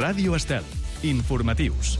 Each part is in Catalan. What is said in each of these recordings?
Ràdio Estel. Informatius.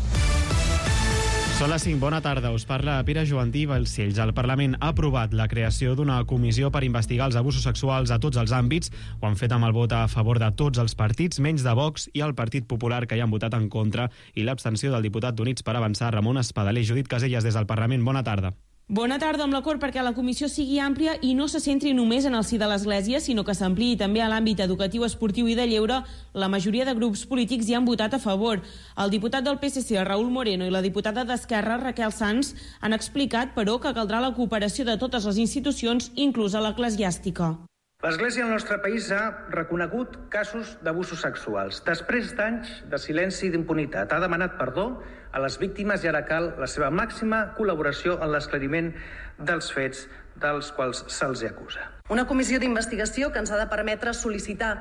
Són les 5. Bona tarda. Us parla Pere Joantí Balcells. El Parlament ha aprovat la creació d'una comissió per investigar els abusos sexuals a tots els àmbits. Ho han fet amb el vot a favor de tots els partits, menys de Vox i el Partit Popular, que hi han votat en contra, i l'abstenció del diputat d'Units per Avançar, Ramon Espadaler. Judit Casellas, des del Parlament. Bona tarda. Bona tarda, amb l'acord perquè la comissió sigui àmplia i no se centri només en el si de l'Església, sinó que s'ampliï també a l'àmbit educatiu, esportiu i de lleure. La majoria de grups polítics hi han votat a favor. El diputat del PSC, Raúl Moreno, i la diputada d'Esquerra, Raquel Sans, han explicat, però, que caldrà la cooperació de totes les institucions, inclús l'eclesiàstica. L'Església al nostre país ha reconegut casos d'abusos sexuals. Després d'anys de silenci i d'impunitat, ha demanat perdó a les víctimes i ara cal la seva màxima col·laboració en l'esclariment dels fets dels quals se'ls acusa. Una comissió d'investigació que ens ha de permetre sol·licitar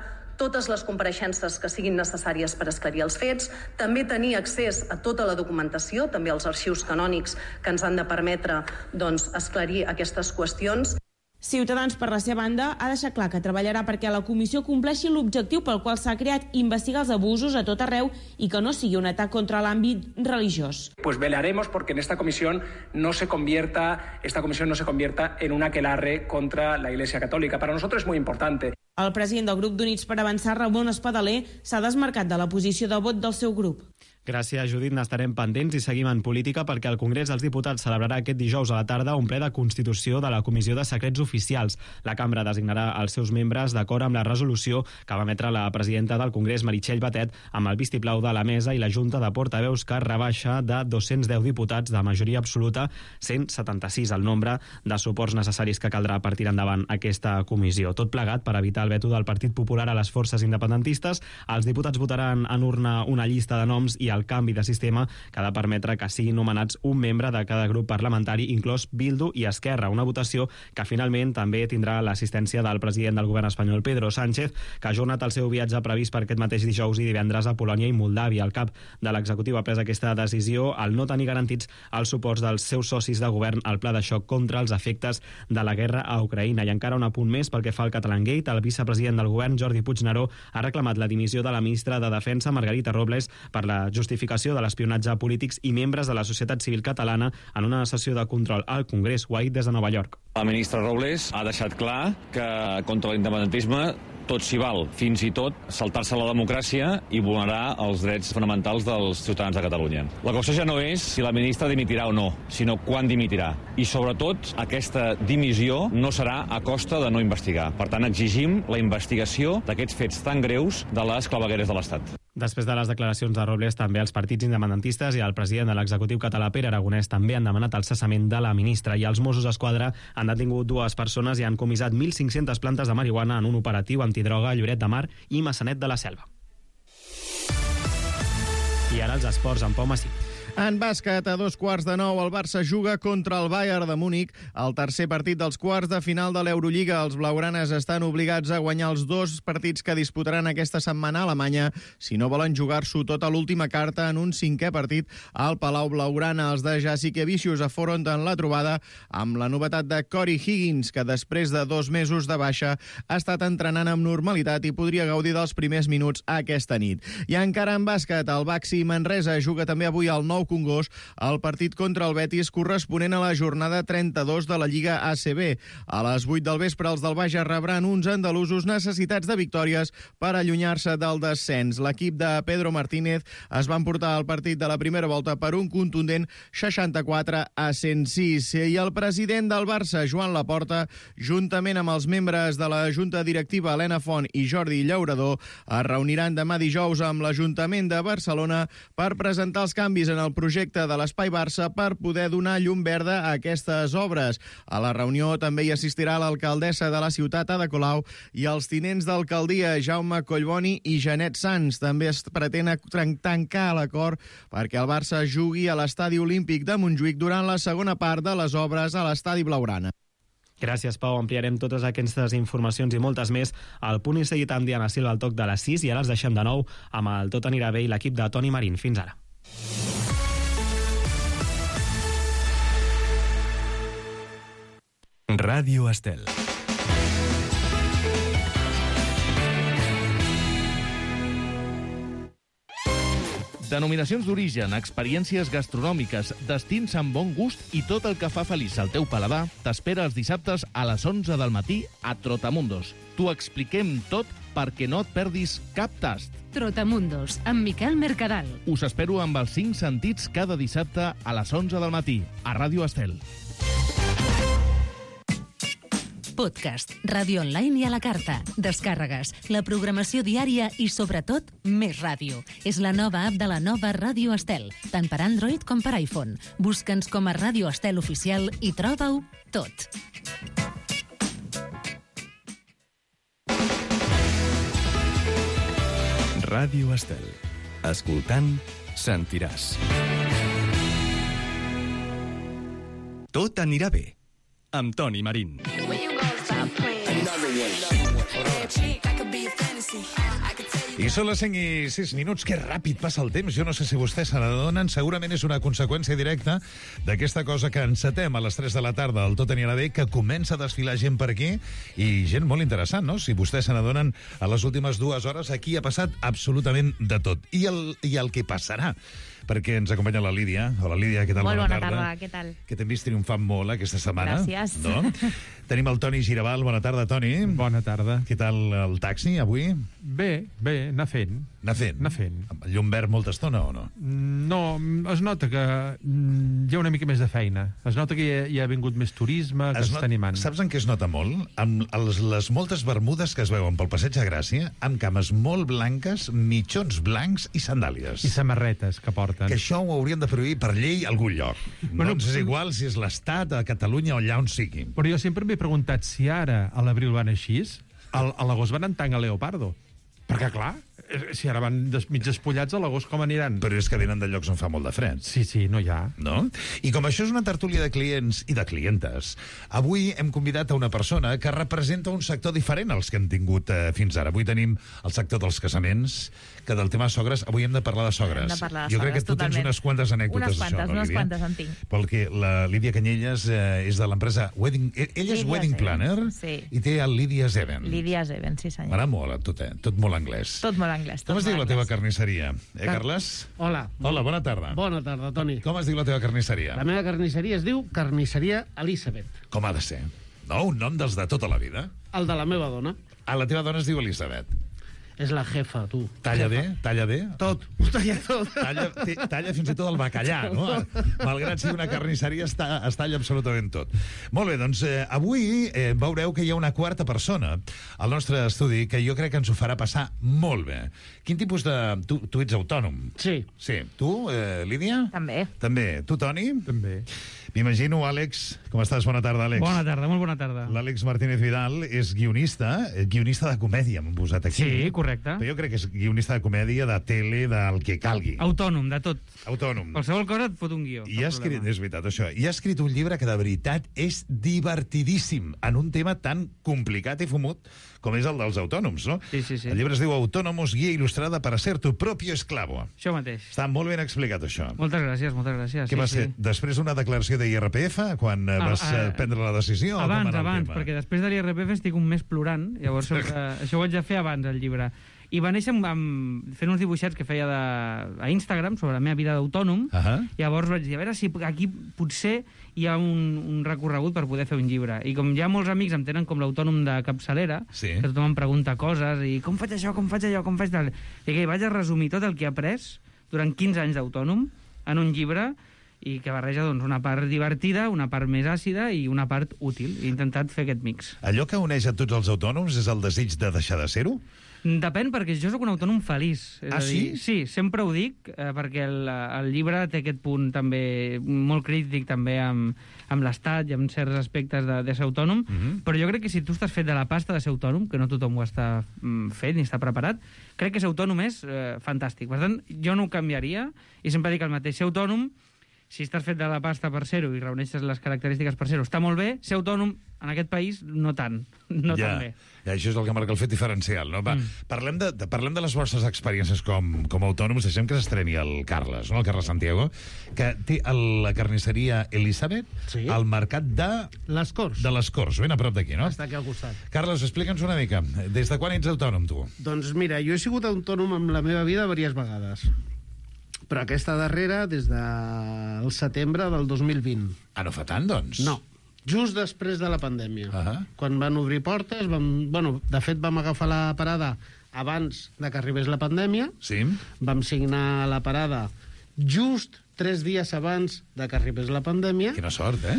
totes les compareixences que siguin necessàries per esclarir els fets, també tenir accés a tota la documentació, també als arxius canònics que ens han de permetre esclarir aquestes qüestions. Ciutadans, per la seva banda, ha deixat clar que treballarà perquè la comissió compleixi l'objectiu pel qual s'ha creat, investigar els abusos a tot arreu i que no sigui un atac contra l'àmbit religiós. Pues velaremos porque esta comisión no se convierta en un aquelarre contra la Iglesia Católica. Para nosotros es muy importante. El president del grup d'Units per Avançar, Ramon Espadaler, s'ha desmarcat de la posició de vot del seu grup. Gràcies, Judit. N'estarem pendents i seguim en política perquè el Congrés dels Diputats celebrarà aquest dijous a la tarda un ple de constitució de la Comissió de Secrets Oficials. La cambra designarà els seus membres d'acord amb la resolució que va emetre la presidenta del Congrés, Meritxell Batet, amb el vistiplau de la mesa i la Junta de Portaveus, que rebaixa de 210 diputats de majoria absoluta 176 el nombre de suports necessaris que caldrà per tirar endavant aquesta comissió. Tot plegat per evitar el veto del Partit Popular a les forces independentistes. Els diputats votaran en urna una llista de noms i el canvi de sistema que ha de permetre que siguin nomenats un membre de cada grup parlamentari, inclòs Bildu i Esquerra. Una votació que finalment també tindrà l'assistència del president del govern espanyol, Pedro Sánchez, que ha ajornat el seu viatge previst per aquest mateix dijous i divendres a Polònia i Moldàvia. El cap de l'executiu ha pres aquesta decisió al no tenir garantits els suports dels seus socis de govern al pla de xoc contra els efectes de la guerra a Ucraïna. I encara un apunt més pel que fa al Catalangate. El vicepresident del govern, Jordi Puigneró, ha reclamat la dimissió de la ministra de Defensa, Margarita Robles, per la justificació de l'espionatge a polítics i membres de la societat civil catalana en una sessió de control al Congrés. Ho ha dit des de Nova York. La ministra Robles ha deixat clar que contra l'independentisme tot s'hi val, fins i tot saltar-se la democràcia i vulnerar els drets fonamentals dels ciutadans de Catalunya. La qüestió ja no és si la ministra dimitirà o no, sinó quan dimitirà. I sobretot, aquesta dimissió no serà a costa de no investigar. Per tant, exigim la investigació d'aquests fets tan greus de les clavegueres de l'Estat. Després de les declaracions de Robles, també els partits independentistes i el president de l'executiu català, Pere Aragonès, també han demanat el cessament de la ministra, i els Mossos d'Esquadra han detingut 2 persones i han comissat 1.500 plantes de marihuana en un operatiu antidroga a Lloret de Mar i Maçanet de la Selva. I ara els esports amb Pau Massí. En bàsquet, a 8:45, el Barça juga contra el Bayern de Múnich. El tercer partit dels quarts de final de l'Eurolliga. Els blaugranes estan obligats a guanyar els 2 partits que disputaran aquesta setmana a Alemanya si no volen jugar-s'ho tota l'última carta en un 5è partit al Palau Blaugrana. Els de Jasikevičius afronten la trobada amb la novetat de Corey Higgins, que després de 2 mesos de baixa ha estat entrenant amb normalitat i podria gaudir dels primers minuts aquesta nit. I encara en bàsquet, el Baxi Manresa juga també avui al Nou Congost el partit contra el Betis corresponent a la jornada 32 de la Lliga ACB. A les 8 del vespre, els del Bages rebran uns andalusos necessitats de victòries per allunyar-se del descens. L'equip de Pedro Martínez es va emportar el partit de la primera volta per un contundent 64-106. I el president del Barça, Joan Laporta, juntament amb els membres de la Junta Directiva, Helena Font i Jordi Llaurador, es reuniran demà dijous amb l'Ajuntament de Barcelona per presentar els canvis en el projecte de l'Espai Barça per poder donar llum verda a aquestes obres. A la reunió també hi assistirà l'alcaldessa de la ciutat, Ada Colau, i els tinents d'alcaldia, Jaume Collboni i Janet Sans. També es pretén tancar l'acord perquè el Barça jugui a l'Estadi Olímpic de Montjuïc durant la segona part de les obres a l'Estadi Blaugrana. Gràcies, Pau. Ampliarem totes aquestes informacions i moltes més al Punt i Seguit amb Diana Silva al toc de les 6 i ara els deixem de nou amb el Tot anirà bé i l'equip de Toni Marín. Fins ara. Ràdio Estel. Denominacions d'origen, experiències gastronòmiques, destins amb bon gust i tot el que fa feliç al teu paladar t'espera els dissabtes a les 11 del matí a Trotamundos. T'ho expliquem tot perquè no et perdis cap tast. Trotamundos, amb Miquel Mercadal. Us espero amb els 5 sentits cada dissabte a les 11 del matí, a Ràdio Estel. Podcast, ràdio online i a la carta, descàrregues, la programació diària i, sobretot, més ràdio. És la nova app de la nova Ràdio Estel, tant per Android com per iPhone. Busca'ns com a Ràdio Estel Oficial i troba-ho tot. Ràdio Estel. Escoltant, sentiràs. Tot anirà bé. Amb Toni Marín. I són les 5 i 6 minuts. Que ràpid passa el temps. Jo no sé si vostès se n'adonen. Segurament és una conseqüència directa d'aquesta cosa que encetem a les 3 de la tarda al Tot anirà bé, que comença a desfilar gent per aquí, i gent molt interessant, no? Si vostès se n'adonen, a les últimes 2 hores aquí ha passat absolutament de tot. I el que passarà, perquè ens acompanya la Lídia. Hola, Lídia, què tal? Molt bona tarda, què tal? Que t'hem vist triomfant molt aquesta setmana. Gràcies. No? Tenim el Toni Giravall. Bona tarda, Toni. Bona tarda. Què tal el taxi, avui? Bé, anar fent. Anar fent? Amb el llum verd molta estona o no? No, es nota que hi ha una mica més de feina. Es nota que hi ha vingut més turisme, que està animant. Saps en què es nota molt? Amb les moltes bermudes que es veuen pel Passeig de Gràcia, amb cames molt blanques, mitjons blancs i sandàlies. I samarretes que porten. Que això ho haurien de prohibir per llei a algun lloc. Bueno, no ens és igual si és l'Estat, a Catalunya o allà on sigui. Però jo sempre m'he preguntat si ara a l'abril van així, a l'agost van en tanga leopardo. Perquè, clar, si ara van mig despullats, a l'agost com aniran? Però és que venen de llocs on fa molt de fred. Sí, no hi ha. No? I com això és una tertúlia de clients i de clientes, avui hem convidat a una persona que representa un sector diferent als que hem tingut fins ara. Avui tenim el sector dels casaments, que del tema sogres, avui hem de parlar de sogres. Hem de parlar de jo crec sogres, que tu tens unes quantes anècdotes d'això, no, Lídia? Unes quantes en tinc. Perquè la Lídia Canyelles és de l'empresa Wedding... Ella és Wedding Planner, sí. I té el Lydia's Event. Lydia's Event, sí senyor. M'agrada molt, tot molt anglès. Tot molt anglès. Com es diu la teva carnisseria? Carles? Hola. Hola, bona tarda. Bona tarda, Toni. Com es diu la teva carnisseria? La meva carnisseria es diu Carnisseria Elisabet. Com ha de ser? No, un nom dels de tota la vida. El de la meva dona. La teva dona es diu Elisabet. És la jefa, tu. Talla bé? Talla bé? Tot. Ho talla tot. Talla fins i tot el bacallà, no? Malgrat ser una carnisseria, es talla absolutament tot. Molt bé, doncs avui veureu que hi ha una quarta persona al nostre estudi que jo crec que ens ho farà passar molt bé. Quin tipus de... Tu ets autònom? Sí. Sí. Tu, Lídia? També. També. Tu, Toni? També. M'imagino, Àlex. Com estàs? Bona tarda, Àlex. Bona tarda, molt bona tarda. L'Àlex Martínez Vidal és guionista de comèdia, m'han posat aquí. Sí, correcte. Però jo crec que és guionista de comèdia, de tele, del que calgui. Autònom, de tot. Autònom. Qualsevol cosa et fot un guió. I ha escrit, és veritat, això. I ha escrit un llibre que de veritat és divertidíssim en un tema tan complicat i fumut com és el dels autònoms, no? Sí. El llibre es diu Autónomos, guia il·lustrada para ser tu propio esclavo. Això mateix. Està molt ben explicat, això. Moltes gràcies. Què va ser? Després una declaració de IRPF, quan vas prendre la decisió? Abans, perquè després de l'IRPF estic un mes plorant, llavors això ho haig de fer abans, el llibre. I va néixer fent uns dibuixets que feia a Instagram sobre la meva vida d'autònom. Llavors vaig dir, a veure si aquí potser hi ha un recorregut per poder fer un llibre. I com ja molts amics em tenen com l'autònom de capçalera, que tothom em pregunta coses, i com faig això, com faig allò, com faig tal... I que vaig a resumir tot el que he après durant 15 anys d'autònom en un llibre, i que barreja una part divertida, una part més àcida i una part útil. He intentat fer aquest mix. Allò que uneix a tots els autònoms és el desig de deixar de ser-ho? Depèn, perquè jo sóc un autònom feliç. Sí? Sí, sempre ho dic, perquè el llibre té aquest punt també molt crític també amb l'Estat i amb certs aspectes de ser autònom, però jo crec que si tu estàs fet de la pasta de ser autònom, que no tothom ho està fet ni està preparat, crec que ser autònom és fantàstic. Per tant, jo no ho canviaria, i sempre dic el mateix, ser autònom, si estàs fet de la pasta per ser-ho i reuneixes les característiques per ser-ho, està molt bé. Ser autònom en aquest país no tant, tan bé. Ja, això és el que marca el fet diferencial, no? Parlem de les vostres experiències com autònoms. Deixem que s'estreni el Carles, no? El Carles Santiago, que té la carnisseria Elisabet al mercat de... Les Corts. De les Corts, ben a prop d'aquí, no? Està aquí al costat. Carles, explica'ns una mica. Des de quan ets autònom, tu? Doncs mira, jo he sigut autònom amb la meva vida diverses vegades. Però aquesta darrera des del setembre del 2020. Ah, no fa tant, doncs? No, just després de la pandèmia. Quan van obrir portes, de fet vam agafar la parada abans de que arribés la pandèmia. Sí. Vam signar la parada just 3 dies abans de que arribés la pandèmia. Quina sort, eh?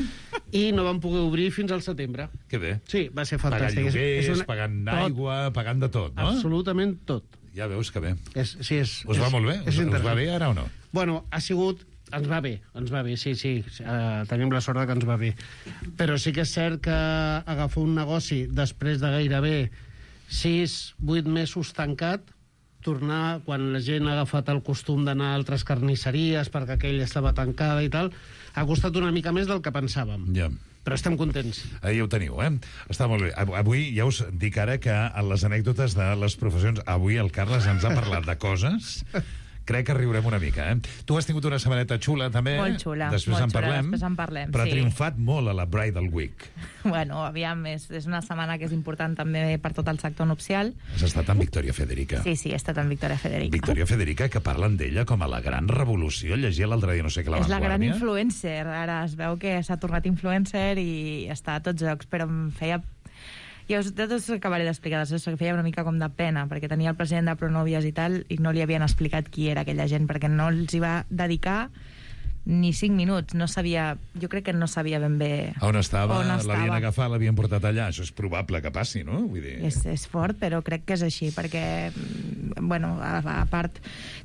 I no vam poder obrir fins al setembre. Que bé. Sí, va ser fantàstic. Pagant lloguers, pagant aigua, pagant de tot, no? Absolutament tot. Ja veus que bé. Us va molt bé? Us va bé ara o no? Bueno, ha sigut... Ens va bé, sí. Tenim la sort que ens va bé. Però sí que és cert que agafar un negoci després de gairebé 6-8 mesos tancat, tornar, quan la gent ha agafat el costum d'anar a altres carnisseries perquè aquella estava tancada i tal, ha costat una mica més del que pensàvem. Ja. Però estem contents. Ja ho teniu, eh? Està molt bé. Avui ja us dic ara que en les anècdotes de les professions, avui el Carles ens ha parlat de coses... Crec que riurem una mica, eh? Tu has tingut una setmaneta xula, també. Molt xula. Després en parlem. Però sí. Ha triomfat molt a la Bridal Week. Bueno, aviam, és una setmana que és important també per tot el sector nupcial. Has estat amb Victoria Federica. Sí, he estat amb Victoria Federica. Victoria Federica, que parlen d'ella com a la gran revolució. Llegia l'altre dia, no sé què, la És la gran Vanguardia. influencer. Ara es veu que s'ha tornat influencer i està a tots llocs, però em feia... Jo tot us acabaré d'explicar, que feia una mica com de pena, perquè tenia el president de Pronovias i tal, i no li havien explicat qui era aquella gent, perquè no els hi va dedicar ni 5 minuts. No sabia, jo crec que no sabia ben bé on estava. L'havien agafat, l'havien portat allà. Això és probable que passi, no? Vull dir... És fort, però crec que és així, perquè, bueno, a part,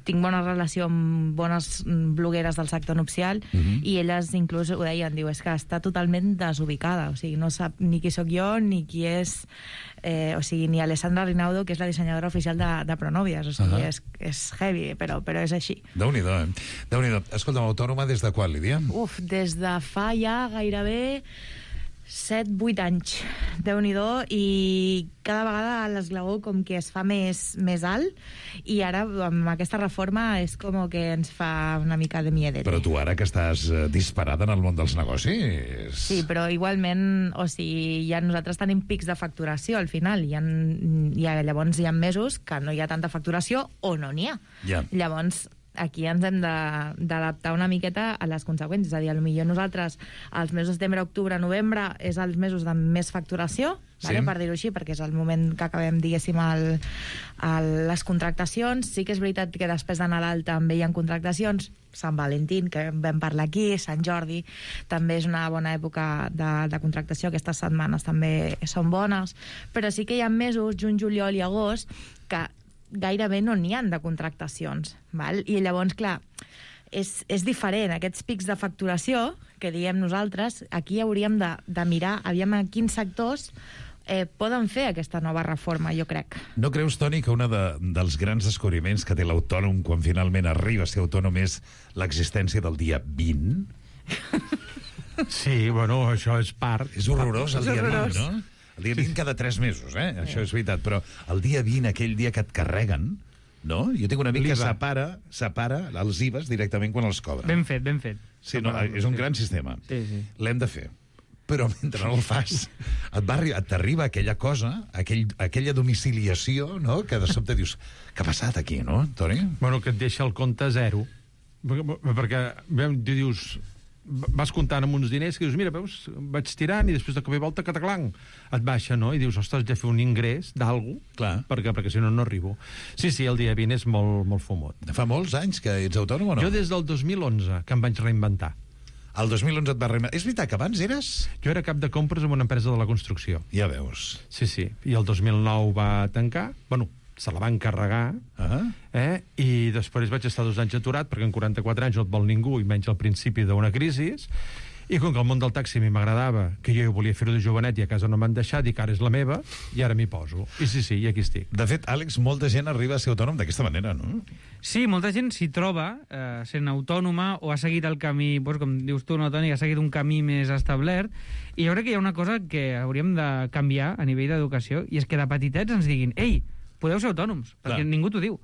tinc bona relació amb bones blogueres del sector nupcial, i elles inclús ho deien, diu, és que està totalment desubicada, o sigui, no sap ni qui sóc jo, ni qui és... o sigui, ni Alessandra Rinaudo, que és la dissenyadora oficial de Pronovias, o sigui, és heavy, però és així. Déu-n'hi-do, eh? Déu-n'hi-do. Escolta'm, autònoma des de quan, Lídia? Des de fa ja gairebé 7-8 anys, Déu-n'hi-do, i cada vegada l'esglaó com que es fa més alt, i ara amb aquesta reforma és com que ens fa una mica de miedete. Però tu ara que estàs disparada en el món dels negocis... Sí, però igualment, o sigui, ja nosaltres tenim pics de facturació al final, llavors hi ha mesos que no hi ha tanta facturació o no n'hi ha. Llavors aquí ens hem d'adaptar una miqueta a les conseqüències, és a dir, potser nosaltres els mesos de setembre, octubre, novembre és els mesos de més facturació, per dir-ho així, perquè és el moment que acabem, diguéssim, les contractacions. Sí que és veritat que després de Nadal també hi ha contractacions, Sant Valentín, que vam parlar aquí, Sant Jordi, també és una bona època de contractació, aquestes setmanes també són bones, però sí que hi ha mesos, juny, juliol i agost, que gairebé no n'hi ha de contractacions, val? I llavors, clar, és diferent. Aquests pics de facturació, que diem nosaltres, aquí hauríem de mirar, aviam a quins sectors poden fer aquesta nova reforma, jo crec. No creus, Toni, que un dels grans descobriments que té l'autònom quan finalment arriba a ser autònom és l'existència del dia 20? Sí, bueno, això és part... És horrorós el dia 20, no? El dia 20 cada 3 mesos, això és veritat, però el dia 20, aquell dia que et carreguen, no? Jo tinc un amic que separa els IVAs directament quan els cobra. Ben fet. Sí, no, és un gran sistema. Sí. L'hem de fer. Però mentre no el fas, t'arriba aquella cosa, aquella domiciliació, no?, que de sobte dius, què ha passat aquí, no, Toni? Bueno, que et deixa el compte a zero. Perquè tu dius... vas comptant amb uns diners que dius, mira, veus, vaig tirant i després de cop i volta cataclang, et baixa, no? I dius, ostres, ja fer un ingrés d'algú, perquè si no, no arribo. Sí, el dia 20 és molt fumot. Fa molts anys que ets autònom o no? Jo des del 2011, que em vaig reinventar. El 2011 et va reinventar. És veritat que abans eres... Jo era cap de compres en una empresa de la construcció. Ja veus. Sí. I el 2009 va tancar, bueno, se la van carregar, i després vaig estar 2 anys aturat, perquè en 44 anys no et vol ningú, i menys al principi d'una crisi, i com que el món del taxi a mi m'agradava, que jo volia fer-ho de jovenet i a casa no m'han deixat, i que ara és la meva, i ara m'hi poso. I sí, i aquí estic. De fet, Àlex, molta gent arriba a ser autònom d'aquesta manera, no? Sí, molta gent s'hi troba sent autònoma o ha seguit el camí, doncs, com dius tu, no, Toni, ha seguit un camí més establert, i jo crec que hi ha una cosa que hauríem de canviar a nivell d'educació, i és que de petitets ens diguin, ei, podeu ser autònoms, perquè ningú t'ho diu.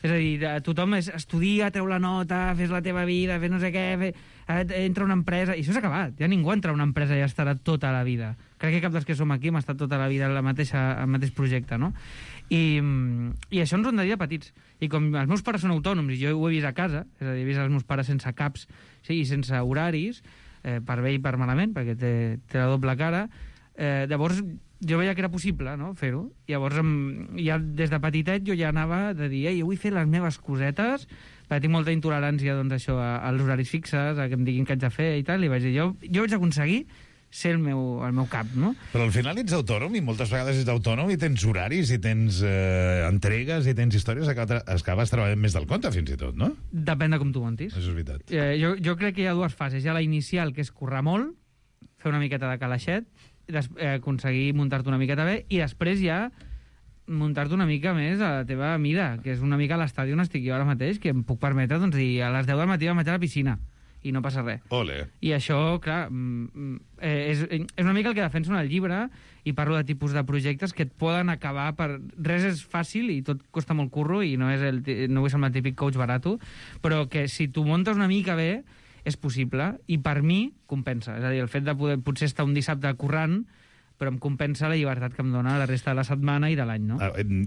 És a dir, tothom estudia, treu la nota, fes la teva vida, fes no sé què, entra a una empresa... I això s'ha acabat. Ja ningú entra a una empresa i estarà tota la vida. Crec que cap dels que som aquí hem estat tota la vida al mateix projecte, no? I això ens ho han de dir a petits. I com els meus pares són autònoms i jo ho he vist a casa, és a dir, he vist els meus pares sense caps i sense horaris, per bé i per malament, perquè té la doble cara, llavors jo veia que era possible, no?, fer-ho. Llavors, ja des de petitet jo ja anava de dir, jo vull fer les meves cosetes, perquè tinc molta intolerància, doncs, això, als horaris fixes, a que em diguin què haig de fer i tal, i vaig dir, jo vaig aconseguir ser el meu cap, no? Però al final ets autònom i moltes vegades ets autònom i tens horaris i tens entregues i tens històries, acabes treballant més del compte fins i tot, no? Depèn de com tu montis. Això és veritat. Jo crec que hi ha dues fases. Hi ha la inicial, que és currar molt, fer una miqueta de calaixet, aconseguir muntar-te una miqueta bé, i després ja muntar-te una mica més a la teva mida, que és una mica l'estadi on estic jo ara mateix, que em puc permetre, doncs, dir a les 10 del matí vaig a la piscina i no passa res. Ole. I això, clar, és una mica el que defenso en el llibre, i parlo de tipus de projectes que et poden acabar per... Res és fàcil i tot costa molt curro i no vull ser el típic coach barato, però que si tu muntes una mica bé és possible, i per mi compensa. És a dir, el fet de poder potser estar un dissabte currant, però em compensa la llibertat que em dona la resta de la setmana i de l'any, no?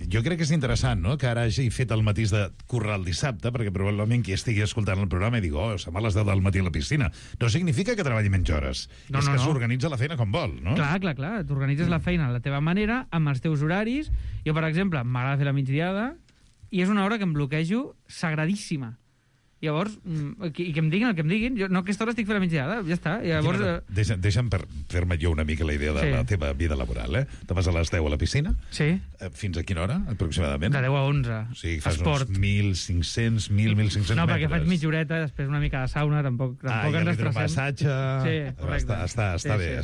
Jo crec que és interessant, no?, que ara hagi fet el matís de currar el dissabte, perquè probablement qui estigui escoltant el programa i digui, se'n va a les 10 del matí a la piscina. No significa que treballi menys hores. És que s'organitza la feina com vol, no? Clar. T'organitzes la feina a la teva manera, amb els teus horaris. Jo, per exemple, m'agrada fer la migdiada, i és una hora que em bloquejo sagradíssima. Llavors, i que em diguin el que em diguin, jo no, aquesta hora estic fent la migdiada, ja està. Llavors, deixa'm fer-me jo una mica la idea de la teva vida laboral, Te vas a les 10 a la piscina? Sí. Fins a quina hora, aproximadament? De 10 a 11. O sigui, fas uns 1.500 metres. No, perquè faig mitja horeta, després una mica de sauna, tampoc ens estressem. Massatge... Sí, correcte. Està bé.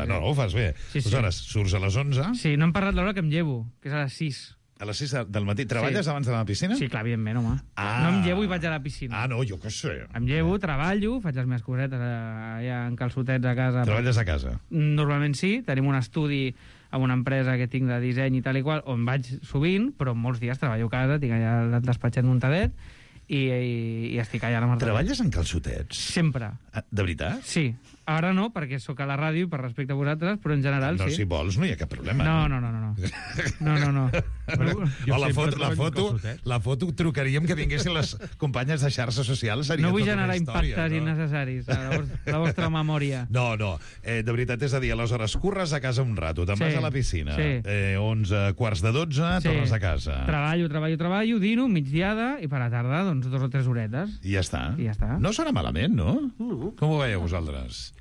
No, ho fas bé. Aleshores, surts a les 11... Sí, no hem parlat l'hora que em llevo, que és a les 6. A les 6 del matí. Treballes abans d'anar a la piscina? Sí, clar, evidentment, home. No em llevo i vaig a la piscina. No, jo què sé. Em llevo, treballo, faig les meves cosetes allà en calçotets a casa. Treballes a casa? Normalment sí. Tenim un estudi amb una empresa que tinc de disseny i tal i qual, on vaig sovint, però molts dies treballo a casa, tinc allà el despatxet muntadet i estic allà a la Marta. Treballes en calçotets? Sempre. De veritat? Sí. Ara no, perquè sóc a la ràdio per respecte a vosaltres, però en general sí. Si vols no hi ha cap problema. No. La foto trucaríem que vinguessin les companyes de xarxes socials. No vull generar impactes innecessaris a la vostra memòria. No. De veritat, és a dir, aleshores curres a casa un rato, te'n vas a la piscina, 11, quarts de 12, tornes a casa. Treballo, dino, migdiada, i per la tarda, doncs, 2 o 3 horetes. I ja està. No sona malament, no? Com ho veieu vosaltres?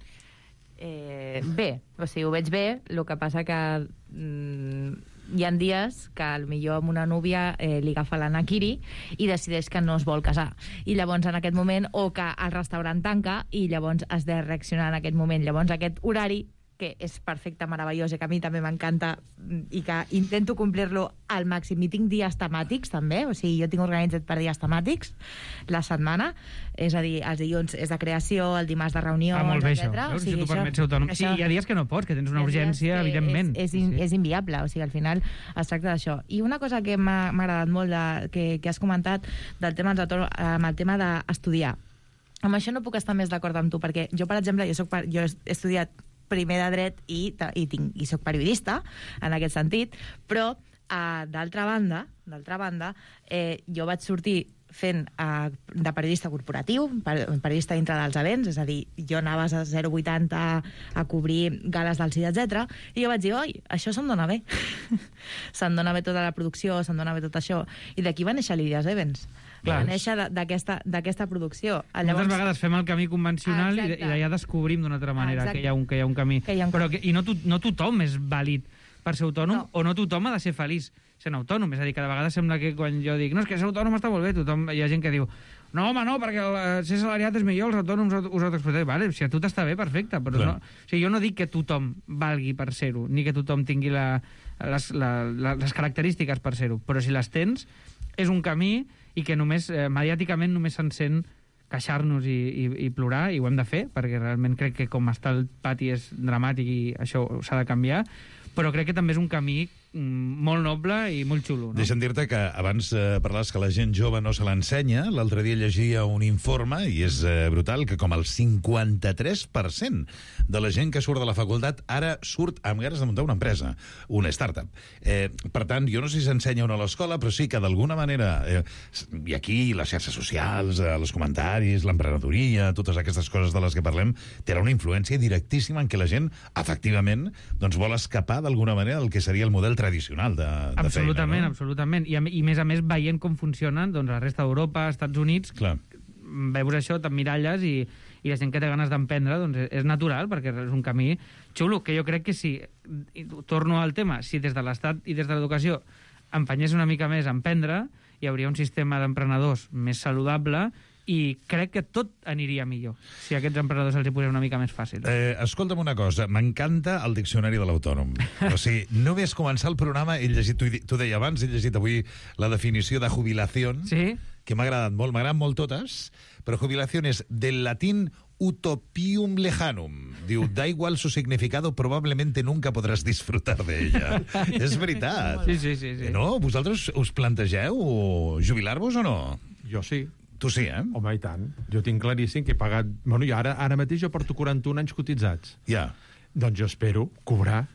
Bé, o sigui, ho veig bé, el que passa que hi ha dies que potser amb una núvia li agafa la naquiri i decideix que no es vol casar. I llavors en aquest moment, o que el restaurant tanca i llavors has de reaccionar en aquest moment. Llavors aquest horari, que és perfecte, meravellós, i que a mi també m'encanta i que intento complir-lo al màxim. I tinc dies temàtics, també, o sigui, jo tinc organitzat per dies temàtics la setmana, és a dir, els dilluns és de creació, el dimarts de reunió, molt bé, etc. Això. Si tu permets ser autònom. Sí, hi ha dies que no pots, que tens una urgència, evidentment. És inviable, o sigui, al final es tracta d'això. I una cosa que m'ha agradat molt, que has comentat, del tema dels autònoms, amb el tema d'estudiar. Amb això no puc estar més d'acord amb tu, perquè jo, per exemple, jo he estudiat primer de dret i soc periodista, en aquest sentit, però, d'altra banda, jo vaig sortir fent de periodista corporatiu, periodista dintre dels events, és a dir, jo anava a 080 a cobrir gales del CID, etc. I jo vaig dir, oi, això se'm dona bé. Se'm dona bé tota la producció, se'm dona bé tot això. I d'aquí va néixer l'Ideas Events. Va néixer d'aquesta producció. Moltes vegades fem el camí convencional i d'allà descobrim d'una altra manera que hi ha un camí. I no tothom és vàlid per ser autònom, o no tothom ha de ser feliç sent autònom. És a dir, cada vegada sembla que quan jo dic no, és que ser autònom està molt bé, hi ha gent que diu no, home, no, perquè ser salariat és millor, els autònoms us autoexplotem. Vale, si a tu t'està bé, perfecte, però no, o sigui, jo no dic que tothom valgui per ser-ho, ni que tothom tingui les característiques per ser-ho, però si les tens, és un camí i que només, mediàticament, només se'n sent queixar-nos i plorar, i ho hem de fer, perquè realment crec que com està el pati és dramàtic i això s'ha de canviar, però crec que també és un camí molt noble i molt xulo. No? Deixa'm dir-te que abans parlaves que la gent jove no se l'ensenya. L'altre dia llegia un informe, i és brutal, que com el 53% de la gent que surt de la facultat ara surt amb ganes de muntar una empresa, una startup. Per tant, jo no sé si s'ensenya o no a l'escola, però sí que d'alguna manera, i aquí les xarxes socials, els comentaris, l'emprenedoria, totes aquestes coses de les que parlem, tenen una influència directíssima en què la gent, efectivament, doncs vol escapar d'alguna manera del que seria el model tradicional de absolutament, feina, no? Absolutament. I a més veient com funcionen doncs, la resta d'Europa, Estats Units, clar, veus això, t'emmiralles i la gent que té ganes d'emprendre doncs és natural, perquè és un camí xulo, que jo crec que si, torno al tema, si des de l'Estat i des de l'educació empenyés una mica més a emprendre, hi hauria un sistema d'emprenedors més saludable i crec que tot aniria millor si a aquests emprenedors els hi posés una mica més fàcil. Escolta'm una cosa, m'encanta el diccionari de l'autònom. O sigui, només començar el programa, he llegit, tu deia abans, he llegit avui la definició de jubilació, sí? Que m'ha agradat molt, m'agraden molt totes, però jubilació és del latín utopium lejanum. Diu, da igual su significado, probablemente nunca podràs disfrutar de ella. És veritat. Sí. No? Vosaltres us plantegeu jubilar-vos o no? Jo sí. Tu sí, eh? Home, i tant. Jo tinc claríssim que he pagat... Bueno, i ara mateix jo porto 41 anys cotitzats. Ja. Doncs jo espero cobrar,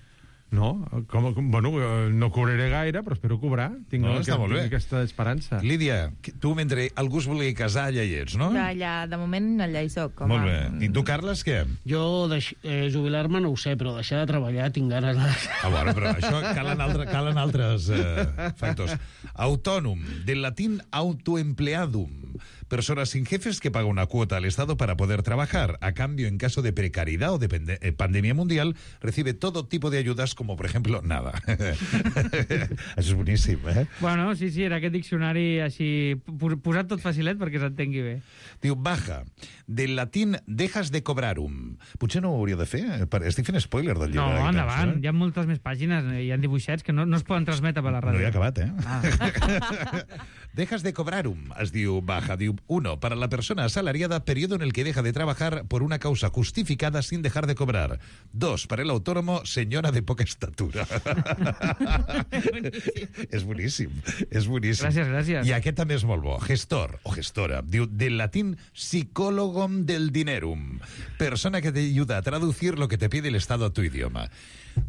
no? Bueno, no cobraré gaire, però espero cobrar. Tinc aquesta esperança. Lídia, tu mentre algú es vulgui casar, allà hi ets, no? Allà, de moment, allà hi soc. Molt bé. I tu, Carles, què? Jo jubilar-me no ho sé, però deixar de treballar tinc ganes de... Bueno, però això calen altres factors. Autònom, del latín autoempleadum. Persona sin jefes que paga una cuota al Estado para poder trabajar. A cambio, en caso de precariedad o de pandemia mundial, recibe todo tipo de ayudas, como, por ejemplo, nada. Això és boníssim, eh? Bueno, sí, era aquest diccionari així posat tot facilet perquè s'entengui bé. Diu, baja, del latín dejas de cobrarum. Potser no ho hauria de fer? Estic fent spoiler del llibre. No, endavant, hi ha moltes més pàgines, hi ha dibuixets que no es poden transmetre per la ràdio. No he acabat, eh? Dejas de cobrarum, es diu baja. Diu, 1. Para la persona asalariada, periodo en el que deja de trabajar por una causa justificada sin dejar de cobrar. 2. Para el autónomo, señora de poca estatura. És boníssim. Gràcies. I aquest també és molt bo. Gestor o gestora. Diu, del latín psicólogom del dinerum. Persona que te ayuda a traducir lo que te pide el Estado a tu idioma.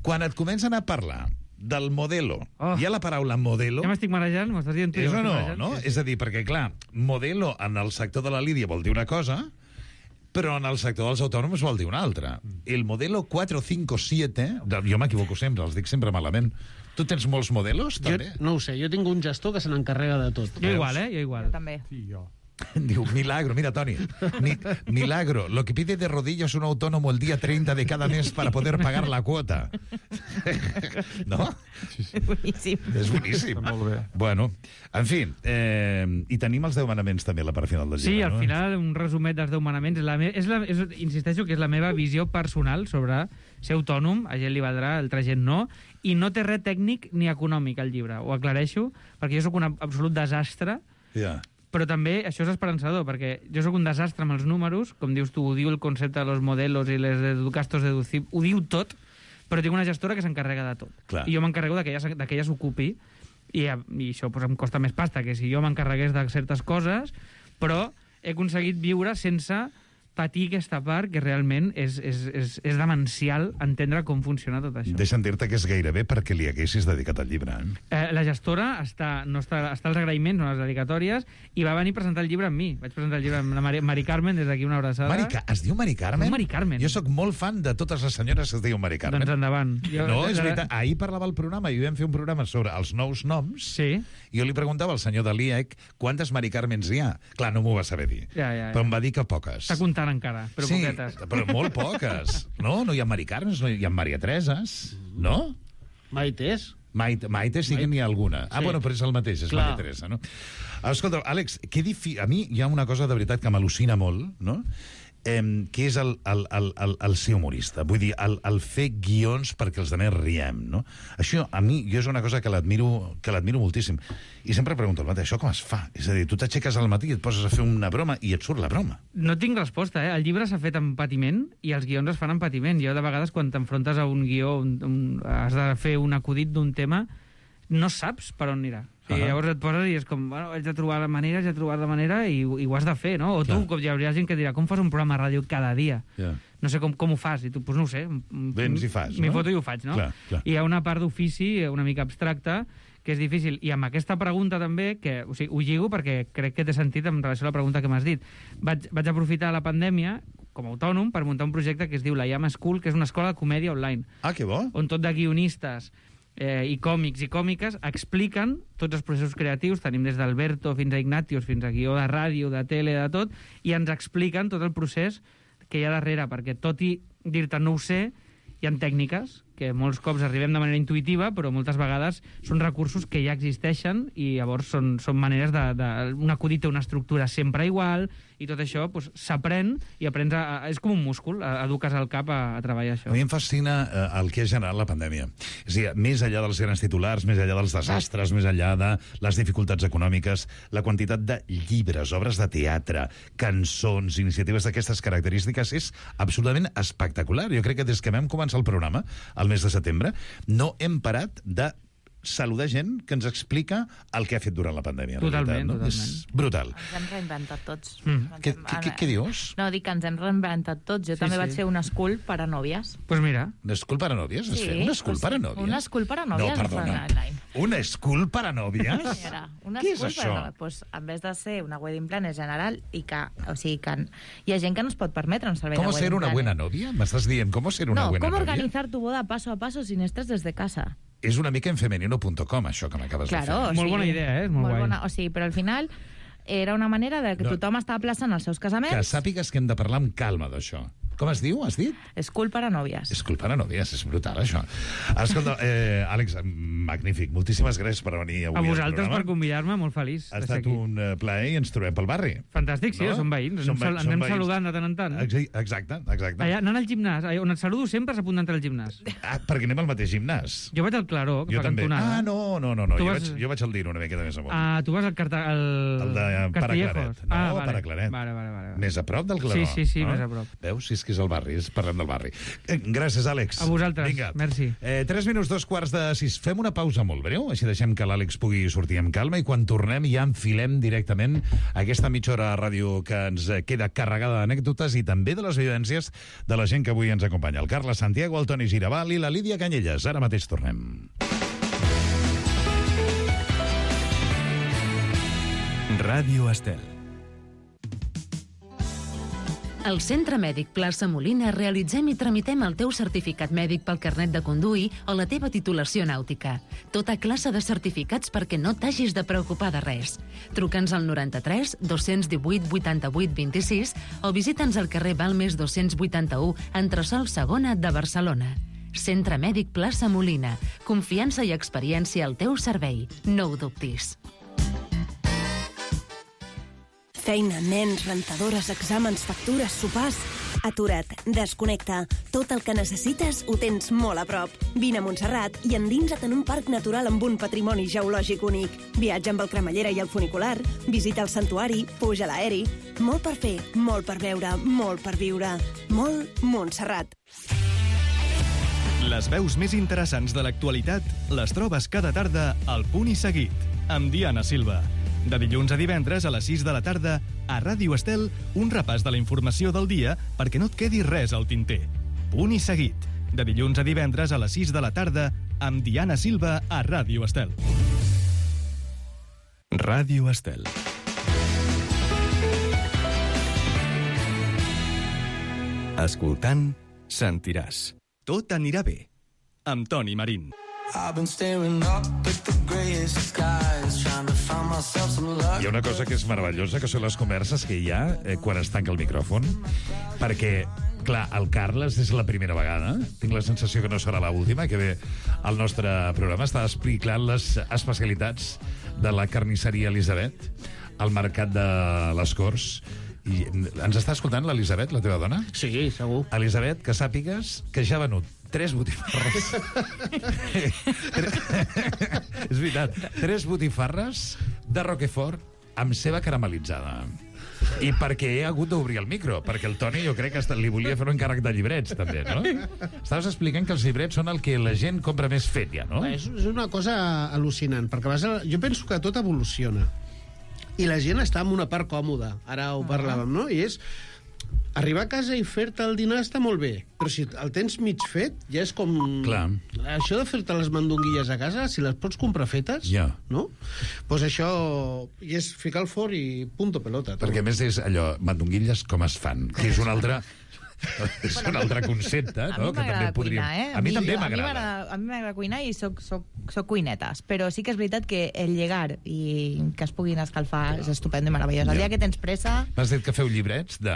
Quan et comencen a parlar del modelo. Hi ha la paraula modelo. Ja m'estic marejant, m'estàs dient tu. És o no? Sí. És a dir, perquè, clar, modelo en el sector de la Lídia vol dir una cosa, però en el sector dels autònoms vol dir una altra. El modelo 457, jo m'equivoco sempre, els dic sempre malament. Tu tens molts modelos, també? No ho sé, jo tinc un gestor que se n'encarrega de tot. Jo igual. Jo també. Sí, jo. Diu, milagro, mira, Toni, milagro, lo que pide de rodillas un autónomo el día 30 de cada mes para poder pagar la cuota. ¿No? Sí. Boníssim. És boníssim. Molt bé. Bueno, en fi, i tenim els 10 manaments també a la part final del llibre, sí, al no? final, un resumet dels 10 manaments. Insisteixo que és la meva visió personal sobre ser autònom, a gent li valdrà, a altra gent no, i no té res tècnic ni econòmic al llibre. Ho aclareixo, perquè jo sóc un absolut desastre, però també això és esperançador, perquè jo sóc un desastre amb els números, com dius tu, ho diu el concepte de los modelos i les gastos deducibles, ho diu tot, però tinc una gestora que s'encarrega de tot. Clar. I jo m'encarrego que ella s'ocupi, i això doncs, em costa més pasta que si jo m'encarregués de certes coses, però he aconseguit viure sense patir aquesta part que realment és demencial entendre com funciona tot això. Deixa'm dir-te que és gairebé perquè li haguessis dedicat al llibre. La gestora està als agraïments, no a les dedicatòries, i va venir a presentar el llibre amb mi. Vaig presentar el llibre amb la Mari Carmen, des d'aquí una abraçada. Es diu Mari Carmen? Mari Carmen. Jo sóc molt fan de totes les senyores que es diuen Mari Carmen. Doncs endavant. No, és veritat. Ahir parlava al programa i vam fer un programa sobre els nous noms. Sí. I jo li preguntava al senyor de l'IEC quantes Mari Carmens hi ha. Clar, no m'ho va saber dir. Però em va dir que poques. Està comptant encara, però sí, poquetes. Però molt poques. No hi ha Mari Carmens, no hi ha Maria Tereses, no? Maites. Maite sí que n'hi ha alguna. Sí. Bueno, però és el mateix, és Maria Teresa, no? Escolta, Àlex, a mi hi ha una cosa de veritat que m'al·lucina molt, no? què és el ser humorista. Vull dir, el fer guions perquè els altres riem, no? Això, a mi, jo és una cosa que l'admiro moltíssim. I sempre pregunto al matí, això com es fa? És a dir, tu t'aixeques al matí i et poses a fer una broma i et surt la broma. No tinc resposta, eh? El llibre s'ha fet amb patiment i els guions es fan amb patiment. Jo, de vegades, quan t'enfrontes a un guió, has de fer un acudit d'un tema, no saps per on anirà. Llavors et poses i és com, bueno, haig de trobar la manera i ho has de fer, no? O tu, com hi hauria gent que dirà, com fas un programa de ràdio cada dia? No sé com ho fas. I tu, doncs no ho sé. Vens i fas, no? M'hi foto i ho faig, no? Clar. I hi ha una part d'ofici una mica abstracta que és difícil. I amb aquesta pregunta també, que o sigui, ho lligo perquè crec que té sentit en relació a la pregunta que m'has dit. Vaig aprofitar la pandèmia com a autònom per muntar un projecte que es diu la Llama School, que és una escola de comèdia online. Ah, que bo! On tot de guionistes i còmics i còmiques expliquen tots els processos creatius. Tenim des d'Alberto fins a Ignatius, fins a guió de ràdio, de tele, de tot, i ens expliquen tot el procés que hi ha darrere, perquè tot i dir-te no ho sé, hi ha tècniques que molts cops arribem de manera intuïtiva, però moltes vegades són recursos que ja existeixen i llavors són maneres un acudit té una estructura sempre igual i tot això s'aprèn i aprens és com un múscul, eduques el cap a treballar això. A mi em fascina el que ha generat la pandèmia. És a dir, més enllà dels grans titulars, més enllà dels desastres, més enllà de les dificultats econòmiques, la quantitat de llibres, obres de teatre, cançons, iniciatives d'aquestes característiques és absolutament espectacular. Jo crec que des que vam començar el programa, al mes de setembre, no hem parat de saludar gent que ens explica el que ha fet durant la pandèmia. Totalment, totalment. És brutal. Ens hem reinventat tots. Què dius? No, dic que ens hem reinventat tots. Jo també vaig fer una school per a nòvies. Pues mira. Una school per a nòvies? Sí, una school per a nòvies? Una school per a nòvies. No, perdona. Una school per a nòvies? Què és això? Pues, en vez de ser una wedding planner general i que, o sigui, que hi ha gent que no es pot permetre un servei de wedding planner. ¿Cómo ser una buena novia? ¿M'estàs dient cómo ser una buena novia? No, cómo organizar tu boda paso a paso sin estrés desde casa. És una mica en femenino.com, això que m'acabes de fer. O sigui, molt bona idea, molt guai. O sigui, però al final era una manera de que tothom estava plaçant els seus casaments. Que sàpigues que hem de parlar amb calma d'això. Com es diu, has dit? School per a nòvies. School per a nòvies, és brutal, això. Escolta, Àlex, magnífic. Moltíssimes gràcies per venir avui al programa. A vosaltres per convidar-me, molt feliç. Ha estat un plaer i ens trobem pel barri. Fantàstic, sí, som veïns. Ens anem saludant de tant en tant. Exacte. Allà, anant al gimnàs, on et saludo sempre s'apunta a entrar al gimnàs. Perquè anem al mateix gimnàs. Jo vaig al Claró, que fa cantonada. No. Jo vaig al Dino una miqueta més amunt. Tu vas al de Paraclaret. No, Paraclaret. Vale. Més a prop del Claró. Sí, més a prop. Veus? Si és que és el barri, parlem del barri. Gràcies, Àlex. A vosaltres, vinga. Merci. 3 minuts, 2:45. Fem una pausa molt breu, així deixem que l'Àlex pugui sortir amb calma i quan tornem ja enfilem directament aquesta mitja hora de ràdio que ens queda carregada d'anècdotes i també de les vivències de la gent que avui ens acompanya. El Carles Santiago, el Toni Giraval i la Lídia Canyelles. Ara mateix tornem. Ràdio Estel. Al Centre Mèdic Plaça Molina realitzem i tramitem el teu certificat mèdic pel carnet de conduir o la teva titulació nàutica. Tota classe de certificats perquè no t'hagis de preocupar de res. Truca'ns al 93 218 88 26 o visita'ns al carrer Balmes 281, entresòl Segona de Barcelona. Centre Mèdic Plaça Molina. Confiança i experiència al teu servei. No ho dubtis. Feina, nens, rentadores, exàmens, factures, sopars... Atura't, desconnecta. Tot el que necessites ho tens molt a prop. Vine a Montserrat i endinsa't en un parc natural amb un patrimoni geològic únic. Viatja amb el cremallera i el funicular, visita el santuari, puja a l'aeri. Molt per fer, molt per veure, molt per viure. Molt Montserrat. Les veus més interessants de l'actualitat les trobes cada tarda al Punt i Seguit, amb Diana Silva. De dilluns a divendres a les 6 de la tarda, a Ràdio Estel, un repàs de la informació del dia perquè no et quedi res al tinter. Punt i Seguit. De dilluns a divendres a les 6 de la tarda, amb Diana Silva a Ràdio Estel. Ràdio Estel. Escoltant, sentiràs. Tot anirà bé. Amb Toni Marín. Hi ha una cosa que és meravellosa, que són les converses que hi ha quan es tanca el micròfon, perquè, clar, el Carles és la primera vegada, tinc la sensació que no serà l'última, que ve al nostre programa, està explicant les especialitats de la carnisseria Elisabet al mercat de les Corts, I ens està escoltant l'Elisabet, la teva dona? Sí, segur. Elisabet, que sàpigues que ja ha venut 3 botifarres. És veritat, 3 botifarres de Roquefort amb ceba caramelitzada. I perquè he hagut d'obrir el micro, perquè el Toni jo crec que li volia fer un encàrrec de llibrets, també, no? Estaves explicant que els llibrets són el que la gent compra més fet, ja, no? És una cosa al·lucinant, perquè jo penso que tot evoluciona. I la gent està en una part còmoda, ara ho parlàvem, no? I és... Arribar a casa i fer-te el dinar està molt bé, però si el tens mig fet, ja és com... Clar. Això de fer-te les mandonguilles a casa, si les pots comprar fetes, no? Doncs això és ficar el forn i punto pelota. Perquè a més és allò, mandonguilles com es fan, que és un altre... és un altre concepte, no? A mi m'agrada cuinar, eh? A mi també m'agrada. A mi m'agrada cuinar i soc cuinetes, però sí que és veritat que el llegar i que es puguin escalfar és estupendo i meravellós. El dia que tens pressa... M'has dit que feu llibrets de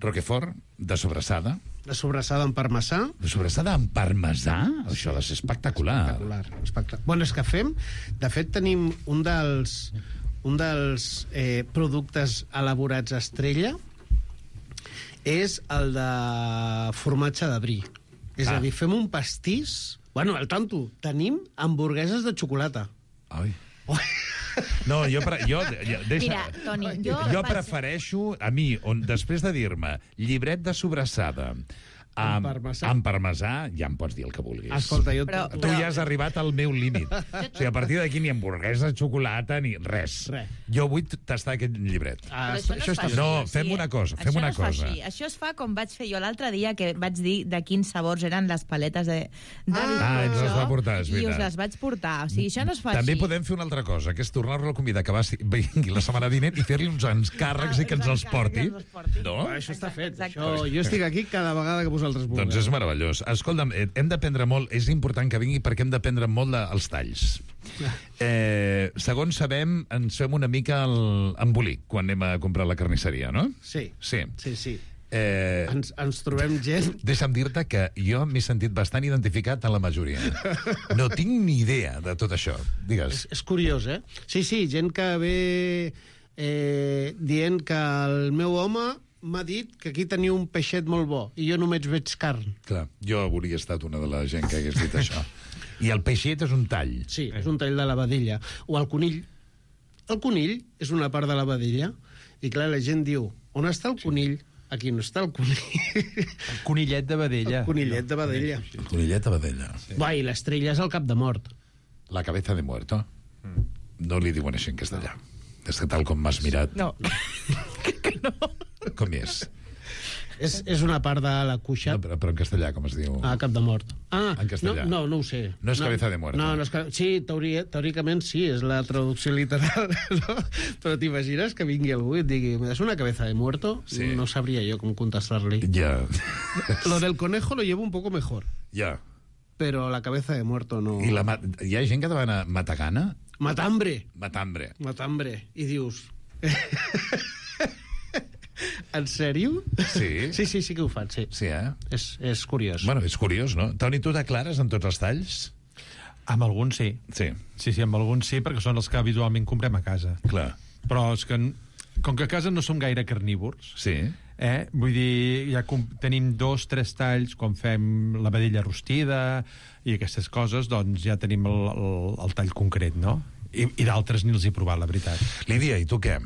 Roquefort, de sobrassada. De sobrassada amb parmesà. De sobrassada amb parmesà? Això ha de ser espectacular. Espectacular. Bueno, és que fem... De fet, tenim un dels productes elaborats estrella és el de formatge de brie. És a dir, fem un pastís... Bueno, al tanto, tenim hamburgueses de xocolata. Ai. No, Mira, Toni, jo prefereixo, a mi, després de dir-me llibret de sobrassada amb parmesà, ja em pots dir el que vulguis. Escolta, tu ja has arribat al meu límit. O sigui, a partir d'aquí ni hamburguesa de xocolata ni res. Jo vull tastar aquest llibret. No, fem una cosa. Això es fa com vaig fer jo l'altre dia, que vaig dir de quins sabors eren les paletes de ens les va portar, és veritat. I us les vaig portar. O sigui, això no es fa També així. podem fer una altra cosa, que és tornar-lo a convidar que vingui la setmana vinent i fer-li uns encàrrecs i que ens els porti. No? Això està fet. Jo estic aquí cada vegada que vosaltres vulgueu. Doncs és meravellós. Escolta'm, hem d'aprendre molt, és important que vingui perquè hem d'aprendre molt dels talls. Segons sabem, ens fem una mica embolic quan anem a comprar la carnisseria, no? Sí. Sí. Ens trobem gent... Deixa'm dir-te que jo m'he sentit bastant identificat a la majoria. No tinc ni idea de tot això. Digues. És curiós, eh? Sí, gent que ve dient que el meu home m'ha dit que aquí tenia un peixet molt bo i jo només veig carn. Clar, jo hauria estat una de la gent que hagués dit això. I el peixet és un tall. Sí, és un tall de la vedella. O el conill. El conill és una part de la vedella i, clar, la gent diu, on està el conill? Aquí no està el conill. El conillet de vedella. El conillet de vedella. El conillet de vedella. Va, i l'estrella és el cap de mort. La cabeza de muerto. No li diuen així en castellà. És que tal com m'has mirat... No. Com és? És una part de la cuixa. No, però en castellà com es diu? Cap de mort. En castellà. No ho sé. No és cabeza de muerto. No, sí, teòricament sí, és la traducció literal, no? Però t'imagines que vingui algú i et digui, ¿me das una cabeza de muerto? Sí. No sabria jo com contestar-li. Ja. Lo del conejo lo llevo un poco mejor. Ja. Però la cabeza de muerto no... I hi ha gent que demana matagana? Matambre. I dius... En sèrio? Sí. Sí que ho fan, sí. Sí, eh? És curiós. Bueno, és curiós, no? Toni, tu declares en tots els talls? Amb alguns sí. Sí, amb alguns sí, perquè són els que habitualment comprem a casa. Clar. Però és que, com que a casa no som gaire carnívors, vull dir, ja tenim 2-3 talls, quan fem la vedella rostida i aquestes coses, doncs ja tenim el tall concret, no? I d'altres ni els he provat, la veritat. Lídia, i tu què?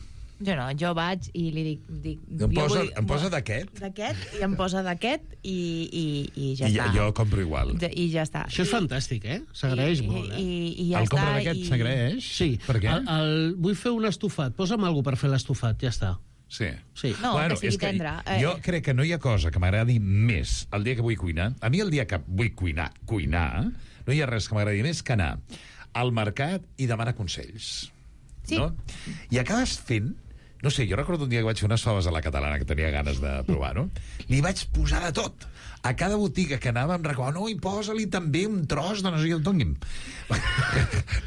Jo vaig i li dic em posa d'aquest? D'aquest, i em posa d'aquest i ja està. Jo compro igual. I ja està. Això és fantàstic, eh? S'agraeix molt, eh? I ja el està. compra d'aquest s'agraeix? Sí. Per què? Vull fer un estofat. Posa'm alguna per fer l'estofat, ja està. Sí. No, que sigui tendre. Jo crec que no hi ha cosa que m'agradi més el dia que vull cuinar. A mi el dia que vull cuinar, no hi ha res que m'agradi més que anar al mercat i demanar consells. Sí. No? I acabes fent... No sé, jo recordo un dia que vaig fer unes faves a la catalana que tenia ganes de provar, no? Li vaig posar de tot. A cada botiga que anava em recomanava, no, i posa-li també un tros de no sé què, doni'm.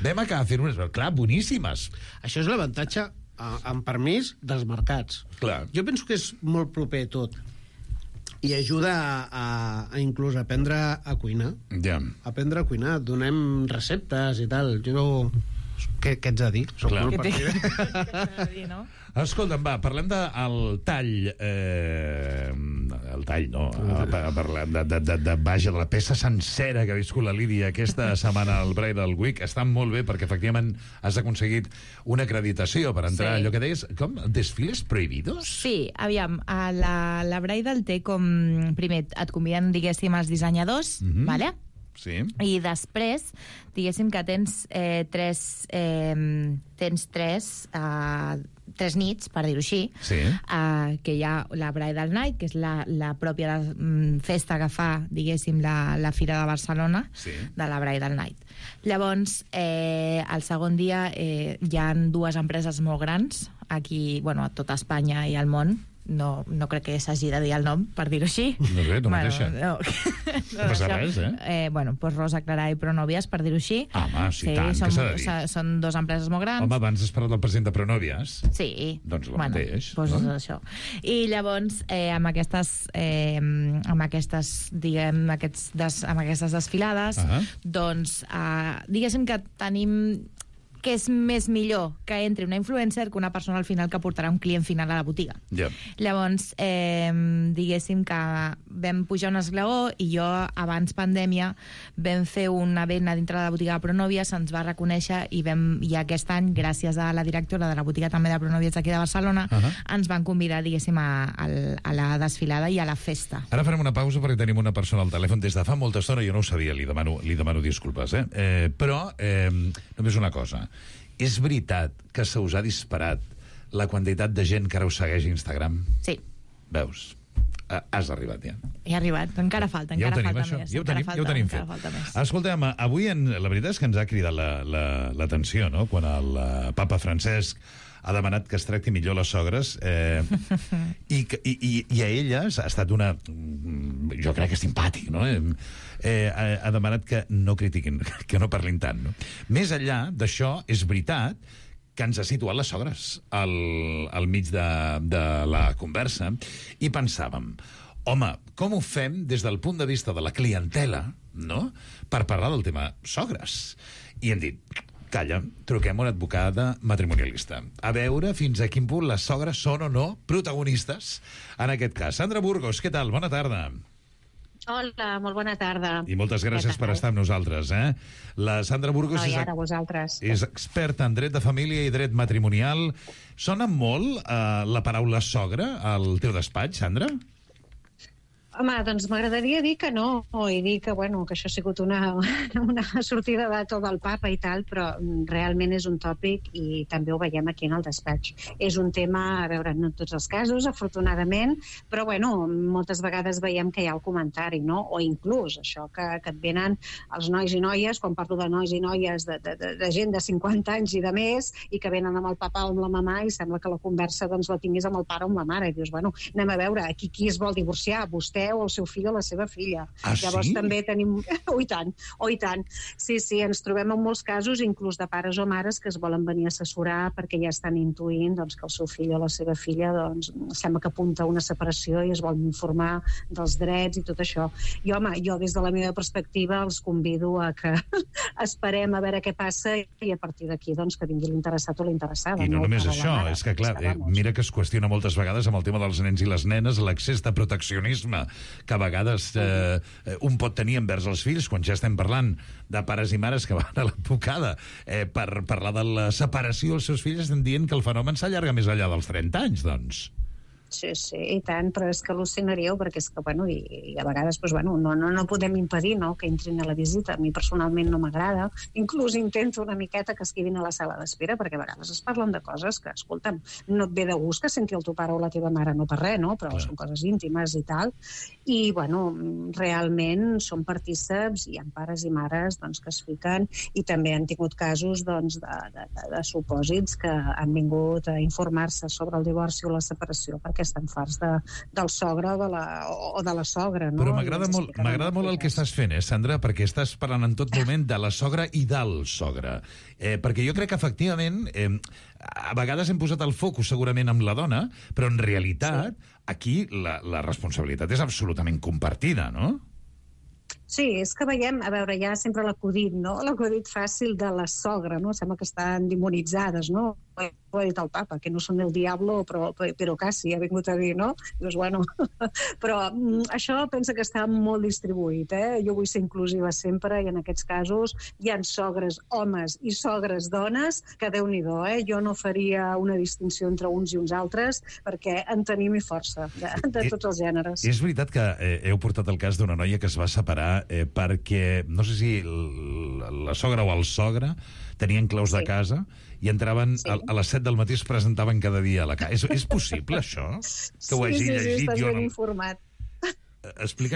Vam acabar fent unes... Clar, boníssimes. Això és l'avantatge, amb permís, dels mercats. Clar. Jo penso que és molt proper tot. I ajuda a inclús aprendre a cuinar. Ja. Aprendre a cuinar. Donem receptes i tal. Jo què ets a dir? Què ets a dir, no? Escolta'm, va, parlem del tall. El tall, no. Parlem vaja, de la peça sencera que ha viscut la Lídia aquesta setmana al Bridal Week. Està molt bé perquè, efectivament, has aconseguit una acreditació per entrar a allò que deies, com? Desfiles prohibidos? Sí, aviam, la Bridal té com... Primer, et conviden, diguéssim, els dissenyadors, vale? Sí. I després, diguéssim que tens tres nits, per dir-ho així, que hi ha la Bridal Night, que és la pròpia festa que fa, diguéssim, la Fira de Barcelona, de la Bridal Night. Llavors, el segon dia hi ha dues empreses molt grans, aquí, bueno, a tota Espanya i al món. No crec que s'hagi de dir el nom, per dir-ho així. No sé, tu mateixa. No passa res, Bueno, doncs Rosa Clarà i Pronovias, per dir-ho així. Home, sí, tant, què s'ha de dir? Són dues empreses molt grans. Home, abans has parlat del president de Pronovias. Sí. Doncs el mateix. Doncs això. I llavors, amb aquestes desfilades, doncs, diguéssim que tenim... que és més millor que entri una influencer que una persona al final que portarà un client final a la botiga. Llavors, diguéssim que vam pujar un esglaó i jo, abans pandèmia, vam fer una venda dintre de la botiga de Pronovia, se'ns va reconèixer i aquest any, gràcies a la directora de la botiga també de Pronovia aquí de Barcelona, ens van convidar, diguéssim, a la desfilada i a la festa. Ara farem una pausa perquè tenim una persona al telèfon des de fa molta estona, jo no ho sabia, li demano disculpes, però només una cosa. És veritat que se us ha disparat la quantitat de gent que ara us segueix a Instagram? Sí. Veus? Has arribat ja. He arribat, encara falta més. Ja ho tenim fet. Escolteu, avui la veritat és que ens ha cridat l'atenció, no?, quan el papa Francesc ha demanat que es tracti millor les sogres i a elles ha estat una... jo crec que és simpàtic, no? Ha demanat que no critiquin, que no parlin tant, no? Més enllà d'això, és veritat que ens ha situat les sogres al mig de la conversa i pensàvem, home, com ho fem des del punt de vista de la clientela, no?, per parlar del tema sogres? I hem dit, calla, truquem a una advocada matrimonialista. A veure fins a quin punt les sogres són o no protagonistes en aquest cas. Sandra Burgos, què tal? Bona tarda. Hola, molt bona tarda. I moltes gràcies per estar amb nosaltres. La Sandra Burgos és experta en dret de família i dret matrimonial. Sona molt la paraula sogra al teu despatx, Sandra? Home, doncs m'agradaria dir que no, i dir que, bueno, que això ha sigut una sortida de tot el papa i tal, però realment és un tòpic i també ho veiem aquí en el despatx. És un tema, a veure, no en tots els casos, afortunadament, però, bueno, moltes vegades veiem que hi ha el comentari, no? O inclús això que et venen els nois i noies, quan parlo de nois i noies de gent de 50 anys i de més, i que venen amb el papa o amb la mamà i sembla que la conversa doncs la tinguis amb el pare o amb la mare, i dius, bueno, anem a veure, aquí qui es vol divorciar, vostè o el seu fill o la seva filla. Llavors també tenim... Oh, i tant. Sí, ens trobem en molts casos, inclús de pares o mares que es volen venir a assessorar perquè ja estan intuint doncs, que el seu fill o la seva filla doncs, sembla que apunta a una separació i es volen informar dels drets i tot això. I, home, jo des de la meva perspectiva els convido a que esperem a veure què passa i a partir d'aquí doncs, que vingui l'interessat o l'interessada. I no només això, és que clar, mira que es qüestiona moltes vegades amb el tema dels nens i les nenes l'excés de proteccionisme que a vegades un pot tenir envers els fills, quan ja estem parlant de pares i mares que van a l'advocada per parlar de la separació dels seus fills, estem dient que el fenomen s'allarga més enllà dels 30 anys, doncs. Sí, i tant, però és que al·lucinaríeu perquè és que, bueno, i a vegades doncs, bueno, no podem impedir, no?, que entrin a la visita. A mi personalment no m'agrada, inclús intento una miqueta que es quedin a la sala d'espera perquè a vegades es parlen de coses que, escolta'm, no et ve de gust que senti el teu pare o la teva mare, no per res, no?, però són coses íntimes i tal, i, bueno, realment són partíceps, hi ha pares i mares doncs, que es fiquen, i també han tingut casos doncs, de supòsits que han vingut a informar-se sobre el divorci o la separació perquè estan farts del sogre o de la sogra, no? Però m'agrada molt el que estàs fent, Sandra, perquè estàs parlant en tot moment de la sogra i del sogre. Perquè jo crec que, efectivament, a vegades hem posat el focus segurament amb la dona, però en realitat aquí la responsabilitat és absolutament compartida, no? Sí, és que veiem, a veure, hi ha sempre l'acudit, no? L'acudit fàcil de la sogra, no? Sembla que estan demonitzades, no? Ho ha dit el papa, que no són el diablo, però quasi, ha vingut a dir, no? Dius, bueno, però això pensa que està molt distribuït, Jo vull ser inclusiva sempre, i en aquests casos hi ha sogres homes i sogres dones, que Déu-n'hi-do, Jo no faria una distinció entre uns i uns altres, perquè en tenim i força, de tots els gèneres. És veritat que heu portat el cas d'una noia que es va separar perquè, no sé si la sogra o el sogre tenien claus de casa i entraven a les 7 del matí, es presentaven cada dia a la casa. És possible, això? Que ho hagi llegit? Sí, estàs ben informat.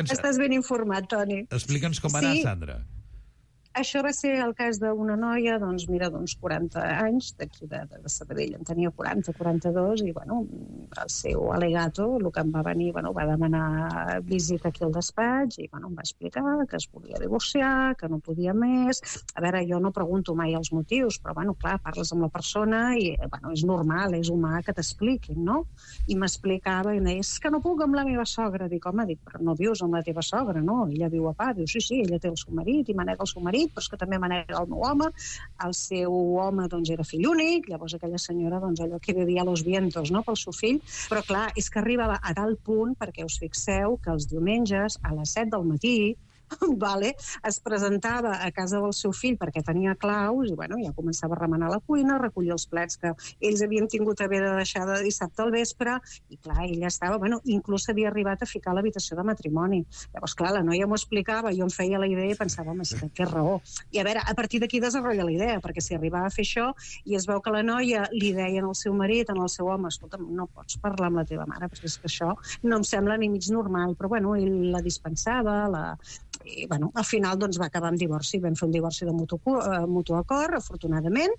Estàs ben informat, Toni. Explica'ns com va anar, Sandra. Això va ser el cas d'una noia, doncs, mira, d'uns 40 anys, d'aquí de Sabadell, en tenia 40, 42, i, bueno, el seu alegato, el que em va venir, bueno, va demanar visita aquí al despatx, i, bueno, em va explicar que es volia divorciar, que no podia més. A veure, jo no pregunto mai els motius, però, bueno, clar, parles amb la persona i, bueno, és normal, és humà que t'expliquin, no? I m'explicava, i em deia, és que no puc amb la meva sogra. Dic, home, però no vius amb la teva sogra, no? Ella viu a part. Diu, sí, ella té el seu marit i manega el seu marit, però és que també manega el meu home. El seu home, doncs, era fill únic, llavors aquella senyora, doncs, allò que vivia a los vientos, no?, pel seu fill. Però, clar, és que arribava a tal punt, perquè us fixeu que els diumenges, a les 7 del matí, vale, es presentava a casa del seu fill perquè tenia claus i, bueno, ja començava a remenar la cuina, a recollir els plats que ells havien tingut a haver de deixar de dissabte al vespre, i, clar, ella estava, bueno, inclús havia arribat a ficar a l'habitació de matrimoni. Llavors, clar, la noia m'ho explicava, jo em feia la idea i pensava, home, que raó. I, a veure, a partir d'aquí desenrotlla la idea, perquè si arribava a fer això i es veu que la noia li deia al seu marit, al seu home, escolta'm, no pots parlar amb la teva mare, perquè és que això no em sembla ni mig normal, però, bueno, ell la dispensava, i, bueno, al final doncs va acabar amb divorci. Vam fer un divorci de mutu acord, afortunadament.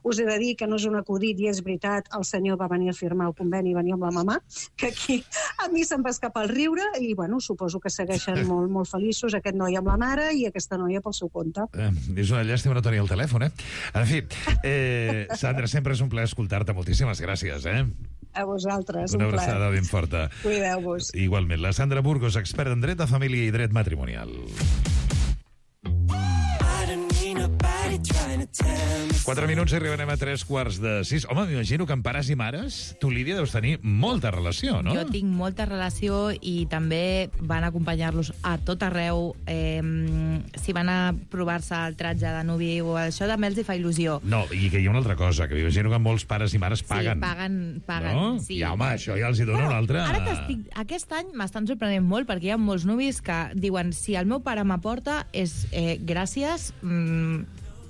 Us he de dir que no és un acudit i és veritat, el senyor va venir a firmar el conveni i venir amb la mamà, que aquí a mi se'm va escapar el riure i, bueno, suposo que segueixen molt, molt feliços, aquest noi amb la mare i aquesta noia pel seu compte. És una llàstima no tenir el telèfon, En fi, Sandra, sempre és un plaer escoltar-te. Moltíssimes gràcies, A vosaltres, un plaer. plaer. Una abraçada ben forta. Cuideu-vos. Igualment, la Sandra Burgos, experta en dret de família i dret matrimonial. 4 minuts i arribarem a 3:45. Home, m'imagino que amb pares i mares tu, Lídia, deus tenir molta relació, no? Jo tinc molta relació i també van acompanyar-los a tot arreu. Si van a provar-se el tratge de nuvi o això, també els hi fa il·lusió. No, i que hi ha una altra cosa, que m'imagino que molts pares i mares paguen. Sí, paguen. No? Sí. I, home, això ja els hi dona una altra... Aquest any m'estan sorprenent molt perquè hi ha molts nuvis que diuen si el meu pare m'aporta és gràcies,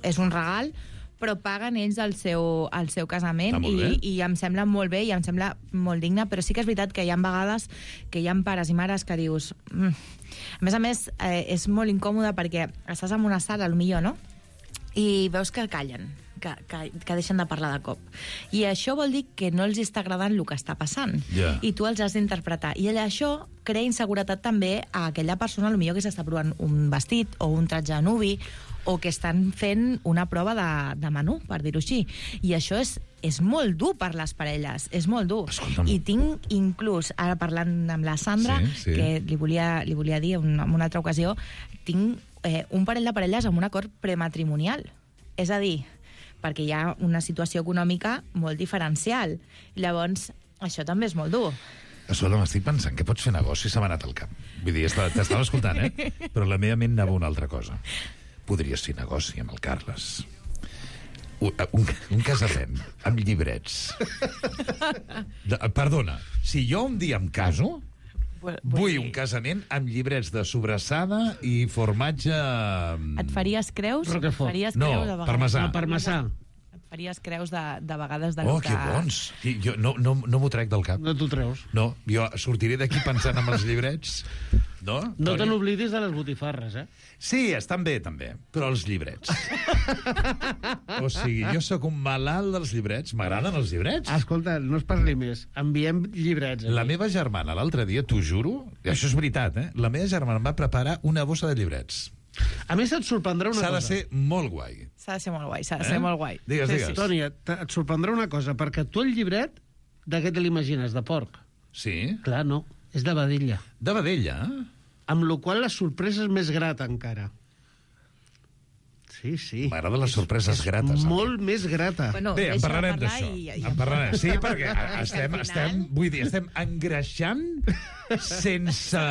és un regal, però paguen ells el seu casament i em sembla molt bé i em sembla molt digne, però sí que és veritat que hi ha vegades que hi ha pares i mares que dius... A més, és molt incòmode perquè estàs en una sala, potser, no? I veus que callen, que deixen de parlar de cop. I això vol dir que no els està agradant el que està passant. Yeah. I tu els has d'interpretar. I això crea inseguretat també a aquella persona, potser que s'està provant un vestit o un tratge de nuvi, o que estan fent una prova de menú, per dir-ho així. I això és molt dur per les parelles, és molt dur. Escolta'm. I tinc inclús, ara parlant amb la Sandra, que li volia dir en una altra ocasió, tinc un parell de parelles amb un acord prematrimonial. És a dir, perquè hi ha una situació econòmica molt diferencial. Llavors, això també és molt dur. Escolta, m'estic pensant que pots fer negoci, se m'ha anat al cap. Vull dir, t'estava escoltant, Però la meva ment anava una altra cosa. Podries fer negoci amb el Carles. Un casament amb llibrets. Perdona, si jo un dia em caso, vull un casament amb llibrets de sobrassada i formatge... Et faries creus? No, parmesà. Parmesà. Et faries creus de vegades de... Oh, que bons! Jo no m'ho trec del cap. No t'ho treus. No, jo sortiré d'aquí pensant en els llibrets. No? No te n'oblidis de les botifarres, Sí, estan bé, també, però els llibrets. O sigui, jo sóc un malalt dels llibrets. M'agraden els llibrets. Escolta, no es parli més. Enviem llibrets. La meva germana, l'altre dia, t'ho juro, i això és veritat, la meva germana em va preparar una bossa de llibrets. A més, et sorprendrà una cosa. S'ha de ser molt guai. S'ha de ser molt guai, s'ha de ser molt guai. Digues. Toni, et sorprendrà una cosa, perquè tu el llibret, de què te l'imagines? De porc? Sí. Clar, no. És de vedella. De vedella? Amb la qual la sorpresa és més grata encara. Sí. M'agrada les sorpreses grates. Molt més grata. Bé, en parlarem d'això. En parlarem. Sí, perquè estem engreixant sense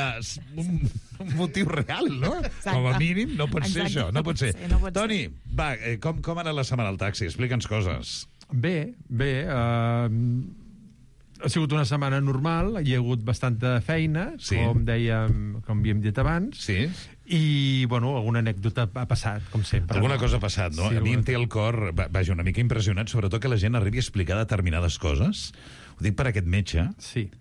un motiu real, no? Com a mínim, no pot ser això. No pot ser. Toni, va, com ha anat la setmana al taxi? Explica'ns coses. Bé. Ha sigut una setmana normal, hi ha hagut bastanta feina, com havíem dit abans, i, bueno, alguna anècdota ha passat, com sempre. Alguna cosa ha passat, no? A mi em té el cor, vaja, una mica impressionat, sobretot que la gent arribi a explicar determinades coses. Ho dic per aquest metge,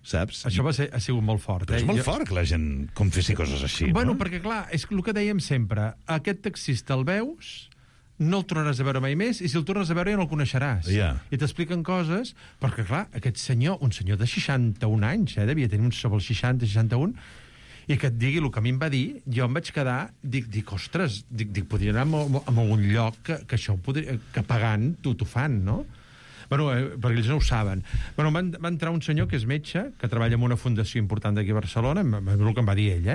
saps? Això ha sigut molt fort. Però és molt fort que la gent confessi coses així, no? Bueno, perquè, clar, és el que dèiem sempre, aquest taxista el veus, no el tornaràs a veure mai més, i si el tornes a veure ja no el coneixeràs. I t'expliquen coses, perquè, clar, aquest senyor, un senyor de 61 anys, devia tenir uns sobre els 60, 61, i que et digui el que a mi em va dir, jo em vaig quedar, dic ostres, podria anar a algun lloc que això que pagant t'ho fan, no? Bueno, perquè ells no ho saben. Bueno, va entrar un senyor que és metge, que treballa en una fundació important d'aquí a Barcelona, el que em va dir ell,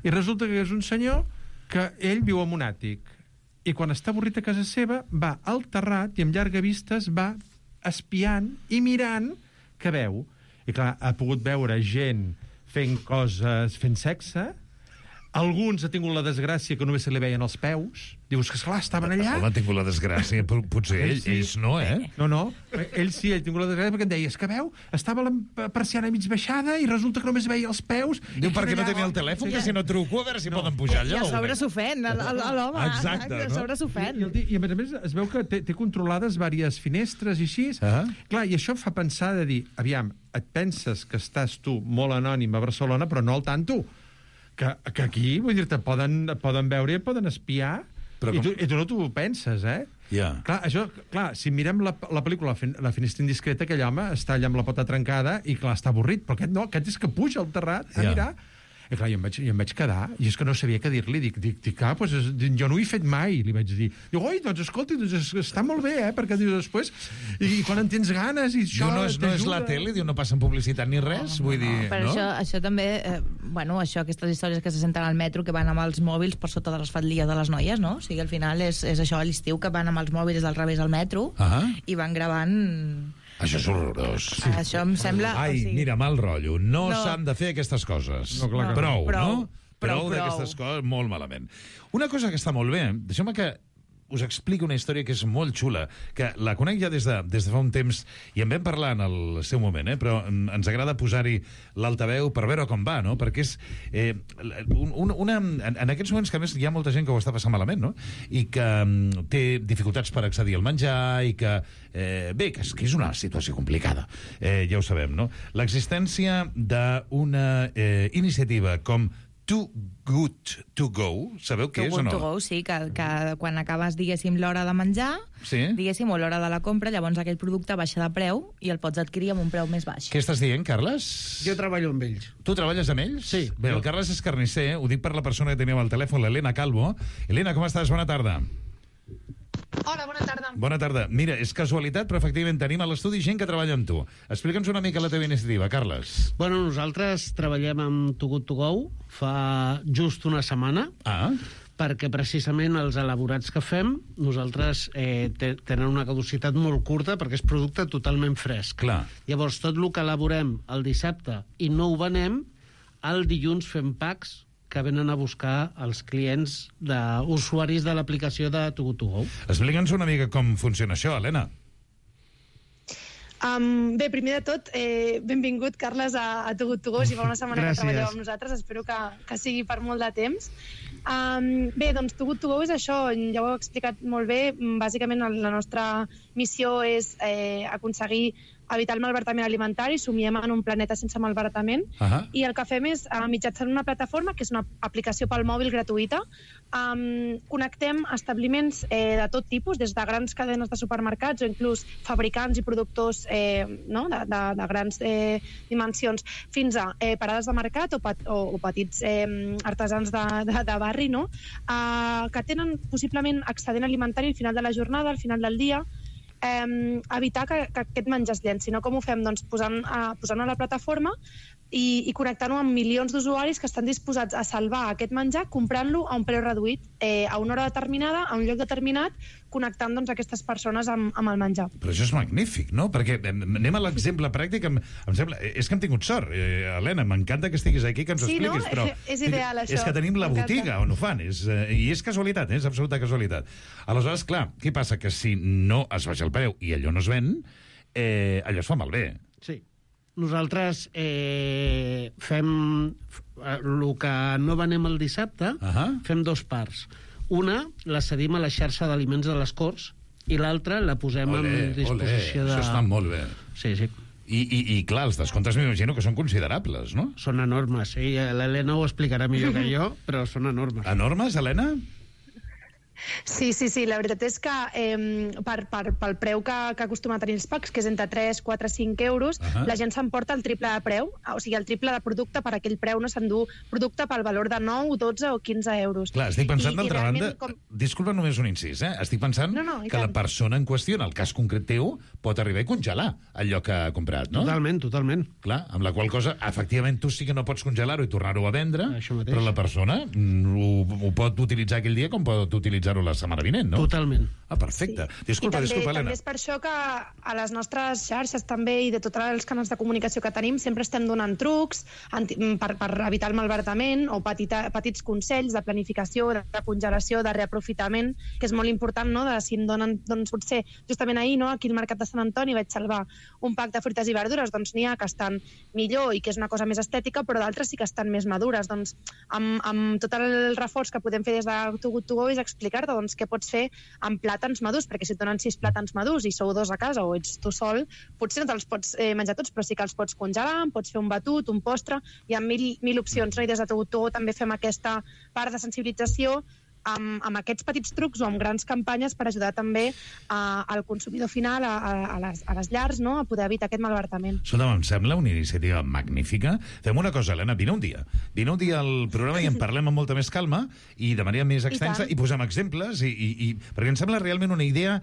I resulta que és un senyor que ell viu en un àtic, i quan està avorrit a casa seva va al terrat i amb llarga vistes va espiant i mirant què veu. I clar, ha pogut veure gent fent coses, fent sexe. Alguns ha tingut la desgràcia que només se li veien els peus. Dius que, esclar, estaven allà. On ha tingut la desgràcia? Potser ells no, No, ell sí, ell ha tingut la desgràcia perquè em deia, és que veu, estava la persiana mig baixada i resulta que només veia els peus. Diu, perquè no tenia el telèfon, que si no truco, a veure si poden pujar allà. I a sobre s'ofèn, l'home. Exacte, no? A sobre s'ofèn. I a més es veu que té controlades diverses finestres i així. Clar, i això fa pensar de dir, aviam, et penses que estàs tu molt anònim a Barcelona, però no al tanto. Que aquí, vull dir-te, poden veure i poden espiar, i tu no t'ho penses, Clar, si mirem la pel·lícula La finestra indiscreta, aquell home està allà amb la pota trencada i, clar, està avorrit, però aquest no, aquest és que puja al terrat a mirar. I clar, jo em vaig quedar, i és que no sabia què dir-li. Dic, jo no ho he fet mai, li vaig dir. Diu, oi, doncs escolti, està molt bé, perquè dius després, i quan en tens ganes, i això no és la tele, diu, no passen publicitat ni res, vull dir, però això també, aquestes històries que se senten al metro, que van amb els mòbils per sota de les faldilles de les noies, no? O sigui, al final és això a l'estiu, que van amb els mòbils al revés al metro, i van gravant... Això és horrorós. Això em sembla... Mira, mal rotllo. No s'han de fer aquestes coses. Prou, no? Prou d'aquestes coses, molt malament. Una cosa que està molt bé, deixeu-me que us explico una història que és molt xula, que la conec ja des de fa un temps, i en vam parlar en el seu moment, però ens agrada posar-hi l'altaveu per veure com va, no? Perquè és en aquests moments que, a més, hi ha molta gent que ho està passant malament, no? I que té dificultats per accedir al menjar, i que, que és una situació complicada, ja ho sabem, no? L'existència d'una iniciativa com Too Good To Go, sabeu què és o no? Too Good To Go, sí, que quan acabes, diguéssim, l'hora de menjar, diguéssim, o l'hora de la compra, llavors aquell producte baixa de preu i el pots adquirir amb un preu més baix. Què estàs dient, Carles? Jo treballo amb ells. Tu treballes amb ells? Sí. Bé, el Carles és carnisser, ho dic per la persona que teníem al telèfon, l'Helena Calvo. Helena, com estàs? Bona tarda. Hola, bona tarda. Bona tarda. Mira, és casualitat, però efectivament tenim a l'estudi gent que treballa amb tu. Explica'ns una mica la teva iniciativa, Carles. Bueno, nosaltres treballem amb Too Good To Go fa just una setmana, perquè precisament els elaborats que fem, nosaltres tenen una caducitat molt curta perquè és producte totalment fresc. Clar. Llavors, tot el que elaborem el dissabte i no ho venem, el dilluns fem packs que venen a buscar els clients d'usuaris de l'aplicació de Too Good To Go. Explica'ns una mica com funciona això, Helena. Bé, primer de tot, benvingut, Carles, a Too Good To Go. Si fa una setmana que treballeu amb nosaltres, espero que sigui per molt de temps. Bé, doncs Too Good To Go és això, ja ho heu explicat molt bé. Bàsicament la nostra missió és aconseguir evitar el malbaratament alimentari, somiem en un planeta sense malbaratament, i el que fem és, mitjançant una plataforma, que és una aplicació pel mòbil gratuïta, connectem establiments de tot tipus, des de grans cadenes de supermercats o inclús fabricants i productors de grans dimensions, fins a parades de mercat o petits artesans de barri, que tenen possiblement excedent alimentari al final de la jornada, al final del dia, evitar que aquest menjar es llenci. Com ho fem? Doncs posant a la plataforma i connectant-ho amb milions d'usuaris que estan disposats a salvar aquest menjar comprant-lo a un preu reduït, a una hora determinada, a un lloc determinat, connectant doncs, aquestes persones amb el menjar. Però això és magnífic, no? Perquè anem a l'exemple pràctic. Em sembla, és que hem tingut sort, Helena, m'encanta que estiguis aquí, que ens ho expliquis. Sí, no? Però és ideal, això. És que tenim la botiga on ho fan, i és casualitat, és absoluta casualitat. Aleshores, clar, què passa? Que si no es baixa el preu i allò no es ven, allò es fa malbé. Sí. Nosaltres fem el que no venem el dissabte, fem dos parts. Una la cedim a la xarxa d'aliments de les Corts i l'altra la posem en disposició de... Això està molt bé. Sí. I clar, els descomptes m'imagino que són considerables, no? Són enormes. L'Helena ho explicarà millor que jo, però són enormes. Enormes, Helena? Sí, la veritat és que pel preu que acostuma a tenir els packs, que és entre 3, 4, 5 euros, la gent s'emporta el triple de preu, o sigui, el triple de producte per aquell preu, no s'endú producte pel valor de 9, 12 o 15 euros. Clar, estic pensant, d'altra banda, disculpa només un incís, estic pensant que la persona en qüestió, en el cas concret teu, pot arribar a congelar allò que ha comprat, no? Totalment. Clar, amb la qual cosa, efectivament, tu sí que no pots congelar-ho i tornar-ho a vendre, però la persona ho pot utilitzar aquell dia com pot utilitzar-ho la setmana vinent, no? Totalment. Perfecte. Disculpa, Helena. També és per això que a les nostres xarxes també i de tots els canals de comunicació que tenim sempre estem donant trucs per evitar el malbaratament o petits consells de planificació, de congelació, de reaprofitament, que és molt important, no? Si em donen, doncs potser, justament ahir, no? Aquí al Mercat de Sant Antoni vaig salvar un pack de fruites i verdures, doncs n'hi ha que estan millor i que és una cosa més estètica, però d'altres sí que estan més madures. Doncs amb tot el reforç que podem fer des de Too Good To Go és explicar-te doncs, què pots fer amb plàtans madurs, perquè si et donen 6 plàtans madurs i sou 2 a casa o ets tu sol, potser no te'ls pots menjar tots, però sí que els pots congelar, pots fer un batut, un postre, hi ha mil opcions, no? I des de Too Good To Go també fem aquesta part de sensibilització amb aquests petits trucs o amb grans campanyes per ajudar també al consumidor final, a les llars, no? A poder evitar aquest malbaratament. Escolta, em sembla una iniciativa magnífica. Fem una cosa, Helena, vine un dia al programa i en parlem amb molta més calma i de manera més extensa i posem exemples, perquè em sembla realment una idea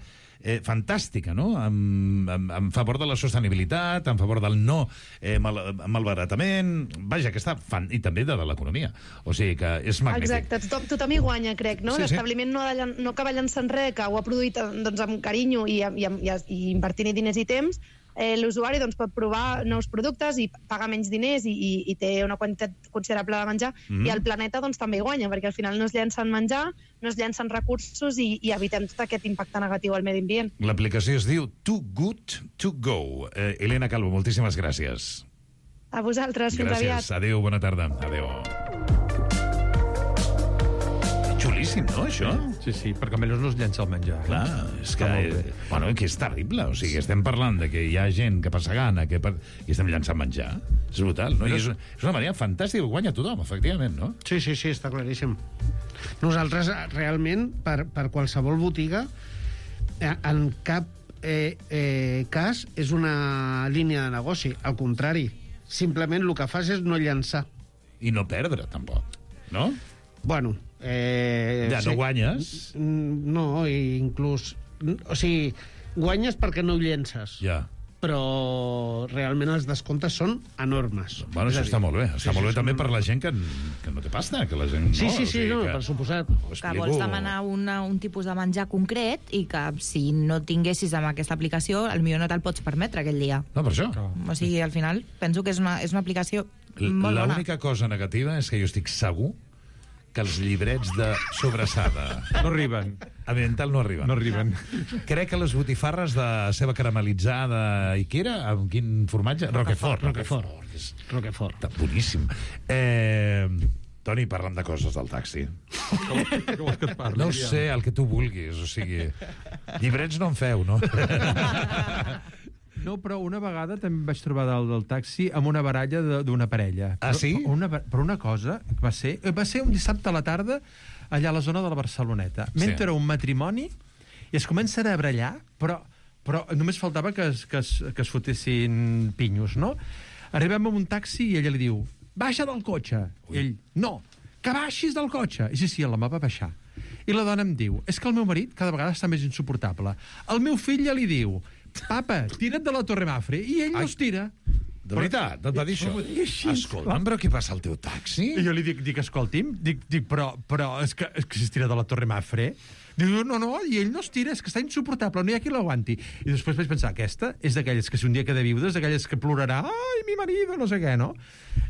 fantàstica, no? En favor de la sostenibilitat, en favor del no malbaratament, vaja, que està i també de l'economia. O sigui que és magnífic. Exacte, tothom hi guanya, crec, no? L'establiment no acaba llançant res, que ho ha produït amb carinyo i invertint-hi diners i temps. L'usuari pot provar nous productes i paga menys diners i té una quantitat considerable de menjar, i el planeta també hi guanya, perquè al final no es llencen menjar, no es llencen recursos i evitem tot aquest impacte negatiu al medi ambient. L'aplicació es diu Too Good To Go. Helena Calvo, moltíssimes gràcies. A vosaltres, fins aviat. Gràcies, adéu, bona tarda. Adéu. Xulíssim, no, això? Sí, perquè almenys no es llença el menjar. Clar, és que és terrible. O sigui, estem parlant de que hi ha gent que passa gana i estem llançant menjar. És brutal, no? I és una manera fantàstica, guanya tothom, efectivament, no? Sí, està claríssim. Nosaltres, realment, per qualsevol botiga, en cap cas és una línia de negoci. Al contrari, simplement el que fas és no llançar. I no perdre, tampoc, no? Bueno... no guanyes? No, inclús... O sigui, guanyes perquè no ho llences. Ja. Però realment els descomptes són enormes. Bueno, això està molt bé. Està molt bé també per la gent que no té pasta, que la gent no... Sí, per suposat. Que vols demanar un tipus de menjar concret i que si no tinguessis amb aquesta aplicació, potser no te'l pots permetre aquell dia. No, per això. O sigui, al final, penso que és una aplicació molt bona. L'única cosa negativa és que jo estic segur que els llibrets de sobrassada no arriben. A Mental no arriben. No arriben. Crec que les botifarres de ceba caramelitzada i què era? Amb quin formatge? Roquefort. Boníssim. Toni, parlem de coses del taxi. Què vols que et parli? No sé, el que tu vulguis. O sigui, llibrets no en feu, no? No, però una vegada també vaig trobar dalt del taxi amb una baralla d'una parella. Ah, sí? Però una cosa va ser un dissabte a la tarda allà a la zona de la Barceloneta. Mentre un matrimoni i es comencen a barallar, però només faltava que es fotessin pinyos, no? Arribem a un taxi i ella li diu baixa del cotxe. I ell, no, que baixis del cotxe. I sí, l'home va baixar. I la dona em diu, és que el meu marit cada vegada està més insuportable. El meu fill ja li diu, papa, tira't de la Torre Mafre. I ell no es tira. De veritat, et va dir això? Escolta'm, però què passa al teu taxi? I jo li dic escolti'm, però és que s'estira de la Torre Mafre. Diu, no, i ell no es tira, és que està insuportable, no hi ha qui l'aguanti. I després vaig pensar, aquesta és d'aquelles que si un dia queda viuda, és d'aquelles que plorarà, ai, mi marido, no sé què, no?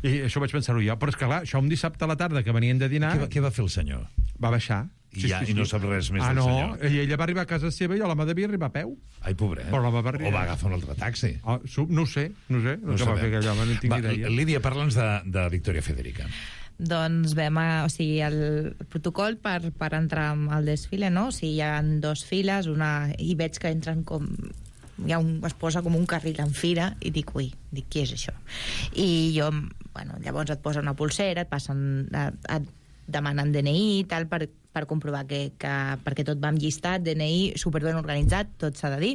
I això vaig pensar-ho jo. Però és que, clar, això un dissabte a la tarda que venien de dinar... Què va fer el senyor? Va baixar. I no sap res més del senyor? I ella va arribar a casa seva i l'home devia arribar a peu. Ai, pobret. Però l'home va arribar... O va agafar un altre taxi. No ho sé. No va fer aquell home, no en tinc idea. Lídia, parla'ns de Victoria Federica. Doncs el protocol per entrar al desfile, no? O sigui, hi ha 2 files, i veig que entren com... es posa com un carril en fira i dic, què és això? I jo, llavors et posa una pulsera, et demanen DNI i tal per comprovar perquè tot va amb llistat, DNI superben organitzat, tot s'ha de dir.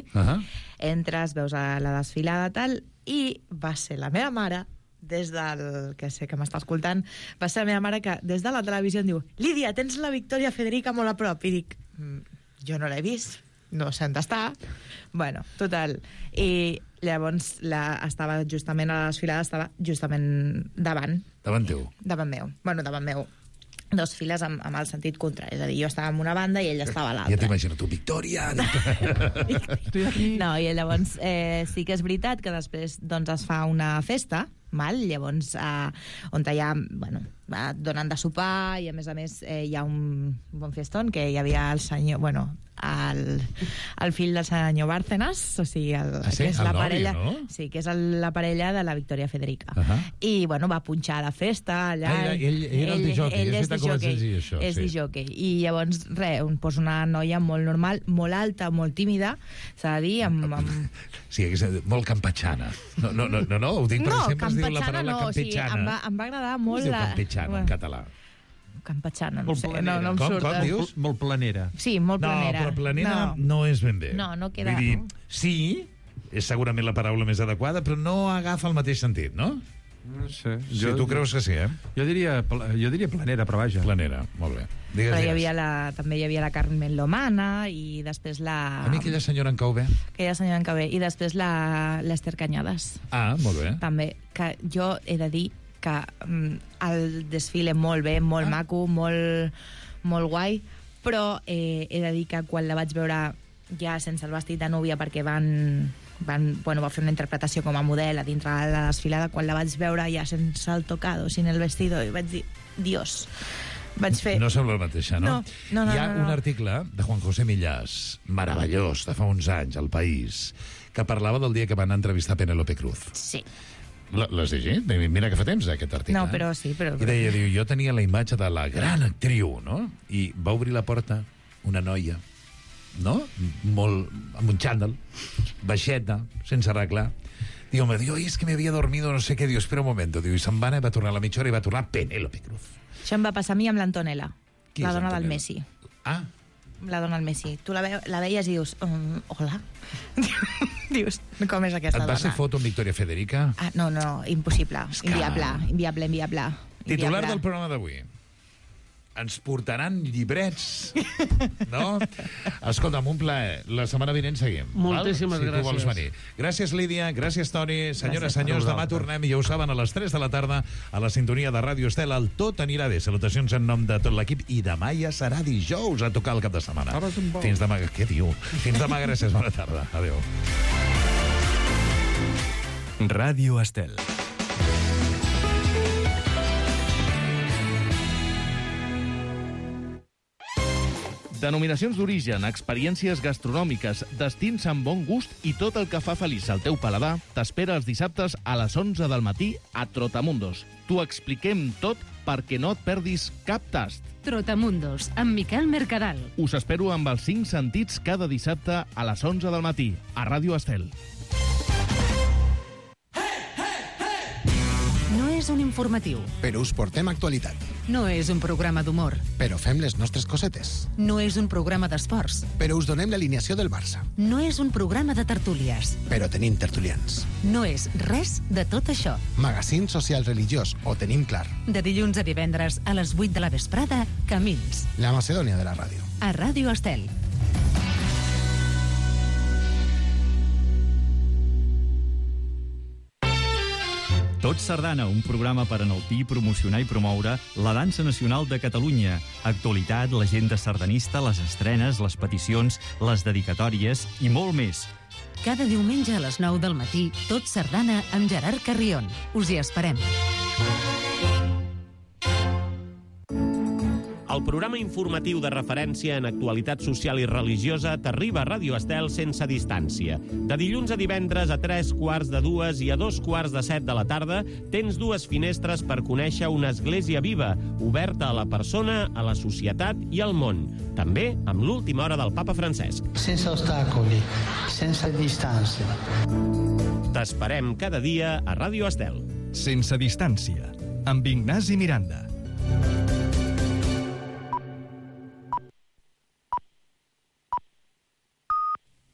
Entres, veus a la desfilada tal, i va ser la meva mare, des del... que sé que m'està escoltant, va ser la meva mare que des de la televisió em diu, Lídia, tens la Victoria Federica molt a prop. I dic, jo no l'he vist, no sé on està. Bueno, total. I llavors estava justament a la desfilada, estava justament davant. Davant teu? Davant meu. Bueno, davant meu. 2 files amb el sentit contrari. És a dir, jo estava en una banda i ella estava a l'altra. Ja t'imagino, tu, Victòria! No, i llavors sí que és veritat que després doncs, es fa una festa, llavors on hi ha, donen de sopar i a més hi ha un bon festón que hi havia el senyor, el fill del senyor Bárcenas, o sigui, que és la parella, no? Sí, que és la parella de la Victoria Federica. I, va punxar a la festa allà. Ell era el disjockey, és disjockey. I llavors, posa una noia molt normal, molt alta, molt tímida, s'ha de dir, Sí, molt campatxana. No, ho dic perquè sempre es diu la paraula campatxana. Em va agradar molt... Es diu campatxana en català. Campatxana, no sé, no em surt. Com dius? Molt planera. Sí, molt planera. No, però planera no és ben bé. No queda... Vull dir, sí, és segurament la paraula més adequada, però no agafa el mateix sentit, no? No sé. Sí, tu creus que sí, eh? Jo diria planera, però vaja. Planera, molt bé. Però també hi havia la Carmen Lomana i després la... A mi aquella senyora en cau bé. I després l'Ester Cañadas. Ah, molt bé. També, que jo he de dir que el desfile molt bé, molt maco, molt guai, però he de dir que quan la vaig veure ja sense el vestit de núvia perquè va fer una interpretació com a model a dintre de la desfilada, quan la vaig veure ja sense el tocado, sin el vestido, i vaig dir, Dios, vaig fer... No sembla la mateixa, no? No. Hi ha un article de Juan José Millás, meravellós, de fa uns anys, al País, que parlava del dia que van entrevistar Penélope Cruz. Sí. L'has llegit? Mira que fa temps, aquest article. No, però sí. I deia, jo tenia la imatge de la gran actriu, no? I va obrir la porta una noia, no? Amb un xandall, baixeta, sense arreglar. Diu, és que m'havia dormido, no sé què. Diu, espera un moment. Diu, i se'n va anar, va tornar a la mitja hora i va tornar Penélope Cruz. Això em va passar a mi amb l'Antonella, la dona del Messi. Ah. La dona del Messi. Tu la veies i dius, hola. Dius, com és aquesta dona? Et va ser foto amb Victoria Federica? No, impossible. Inviable. Titular del programa d'avui. Ens portaran llibrets, no? Escolta'm, un plaer. La setmana vinent seguim. Moltíssimes gràcies. Si tu vols venir. Gràcies, Lídia. Gràcies, Toni. Senyores, senyors, demà tornem, ja ho saben, a les 3 de la tarda a la sintonia de Ràdio Estel. El Tot anirà bé. Salutacions en nom de tot l'equip. I demà ja serà dijous a tocar el cap de setmana. Fins demà. Què diu? Fins demà, gràcies. Bona tarda. Adéu. Ràdio Estel. Denominacions d'origen, experiències gastronòmiques, destins amb bon gust i tot el que fa feliç al teu paladar t'espera els dissabtes a les 11 del matí a Trotamundos. T'ho expliquem tot perquè no et perdis cap tast. Trotamundos, amb Miquel Mercadal. Us espero amb els 5 sentits cada dissabte a les 11 del matí a Ràdio Estel. No és un informatiu. Però us portem actualitat. No és un programa d'humor. Però fem les nostres cosetes. No és un programa d'esports. Però us donem l'alineació del Barça. No és un programa de tertúlies. Però tenim tertulians. No és res de tot això. Magazín social religiós, ho tenim clar. De dilluns a divendres a les 8 de la vesprada, Camins. La Macedònia de la ràdio. A Ràdio Estel. Tot Sardana, un programa per enaltir, promocionar i promoure la dansa nacional de Catalunya. Actualitat, l'agenda sardanista, les estrenes, les peticions, les dedicatòries i molt més. Cada diumenge a les 9 del matí, Tot Sardana amb Gerard Carrion. Us hi esperem. El programa informatiu de referència en actualitat social i religiosa t'arriba a Ràdio Estel sense distància. De dilluns a divendres a 3:45 i a 2:45 de la tarda tens dues finestres per conèixer una església viva, oberta a la persona, a la societat i al món. També amb l'última hora del papa Francesc. Sense ostacoli, sense distància. T'esperem cada dia a Ràdio Estel. Sense distància, amb Ignasi Miranda.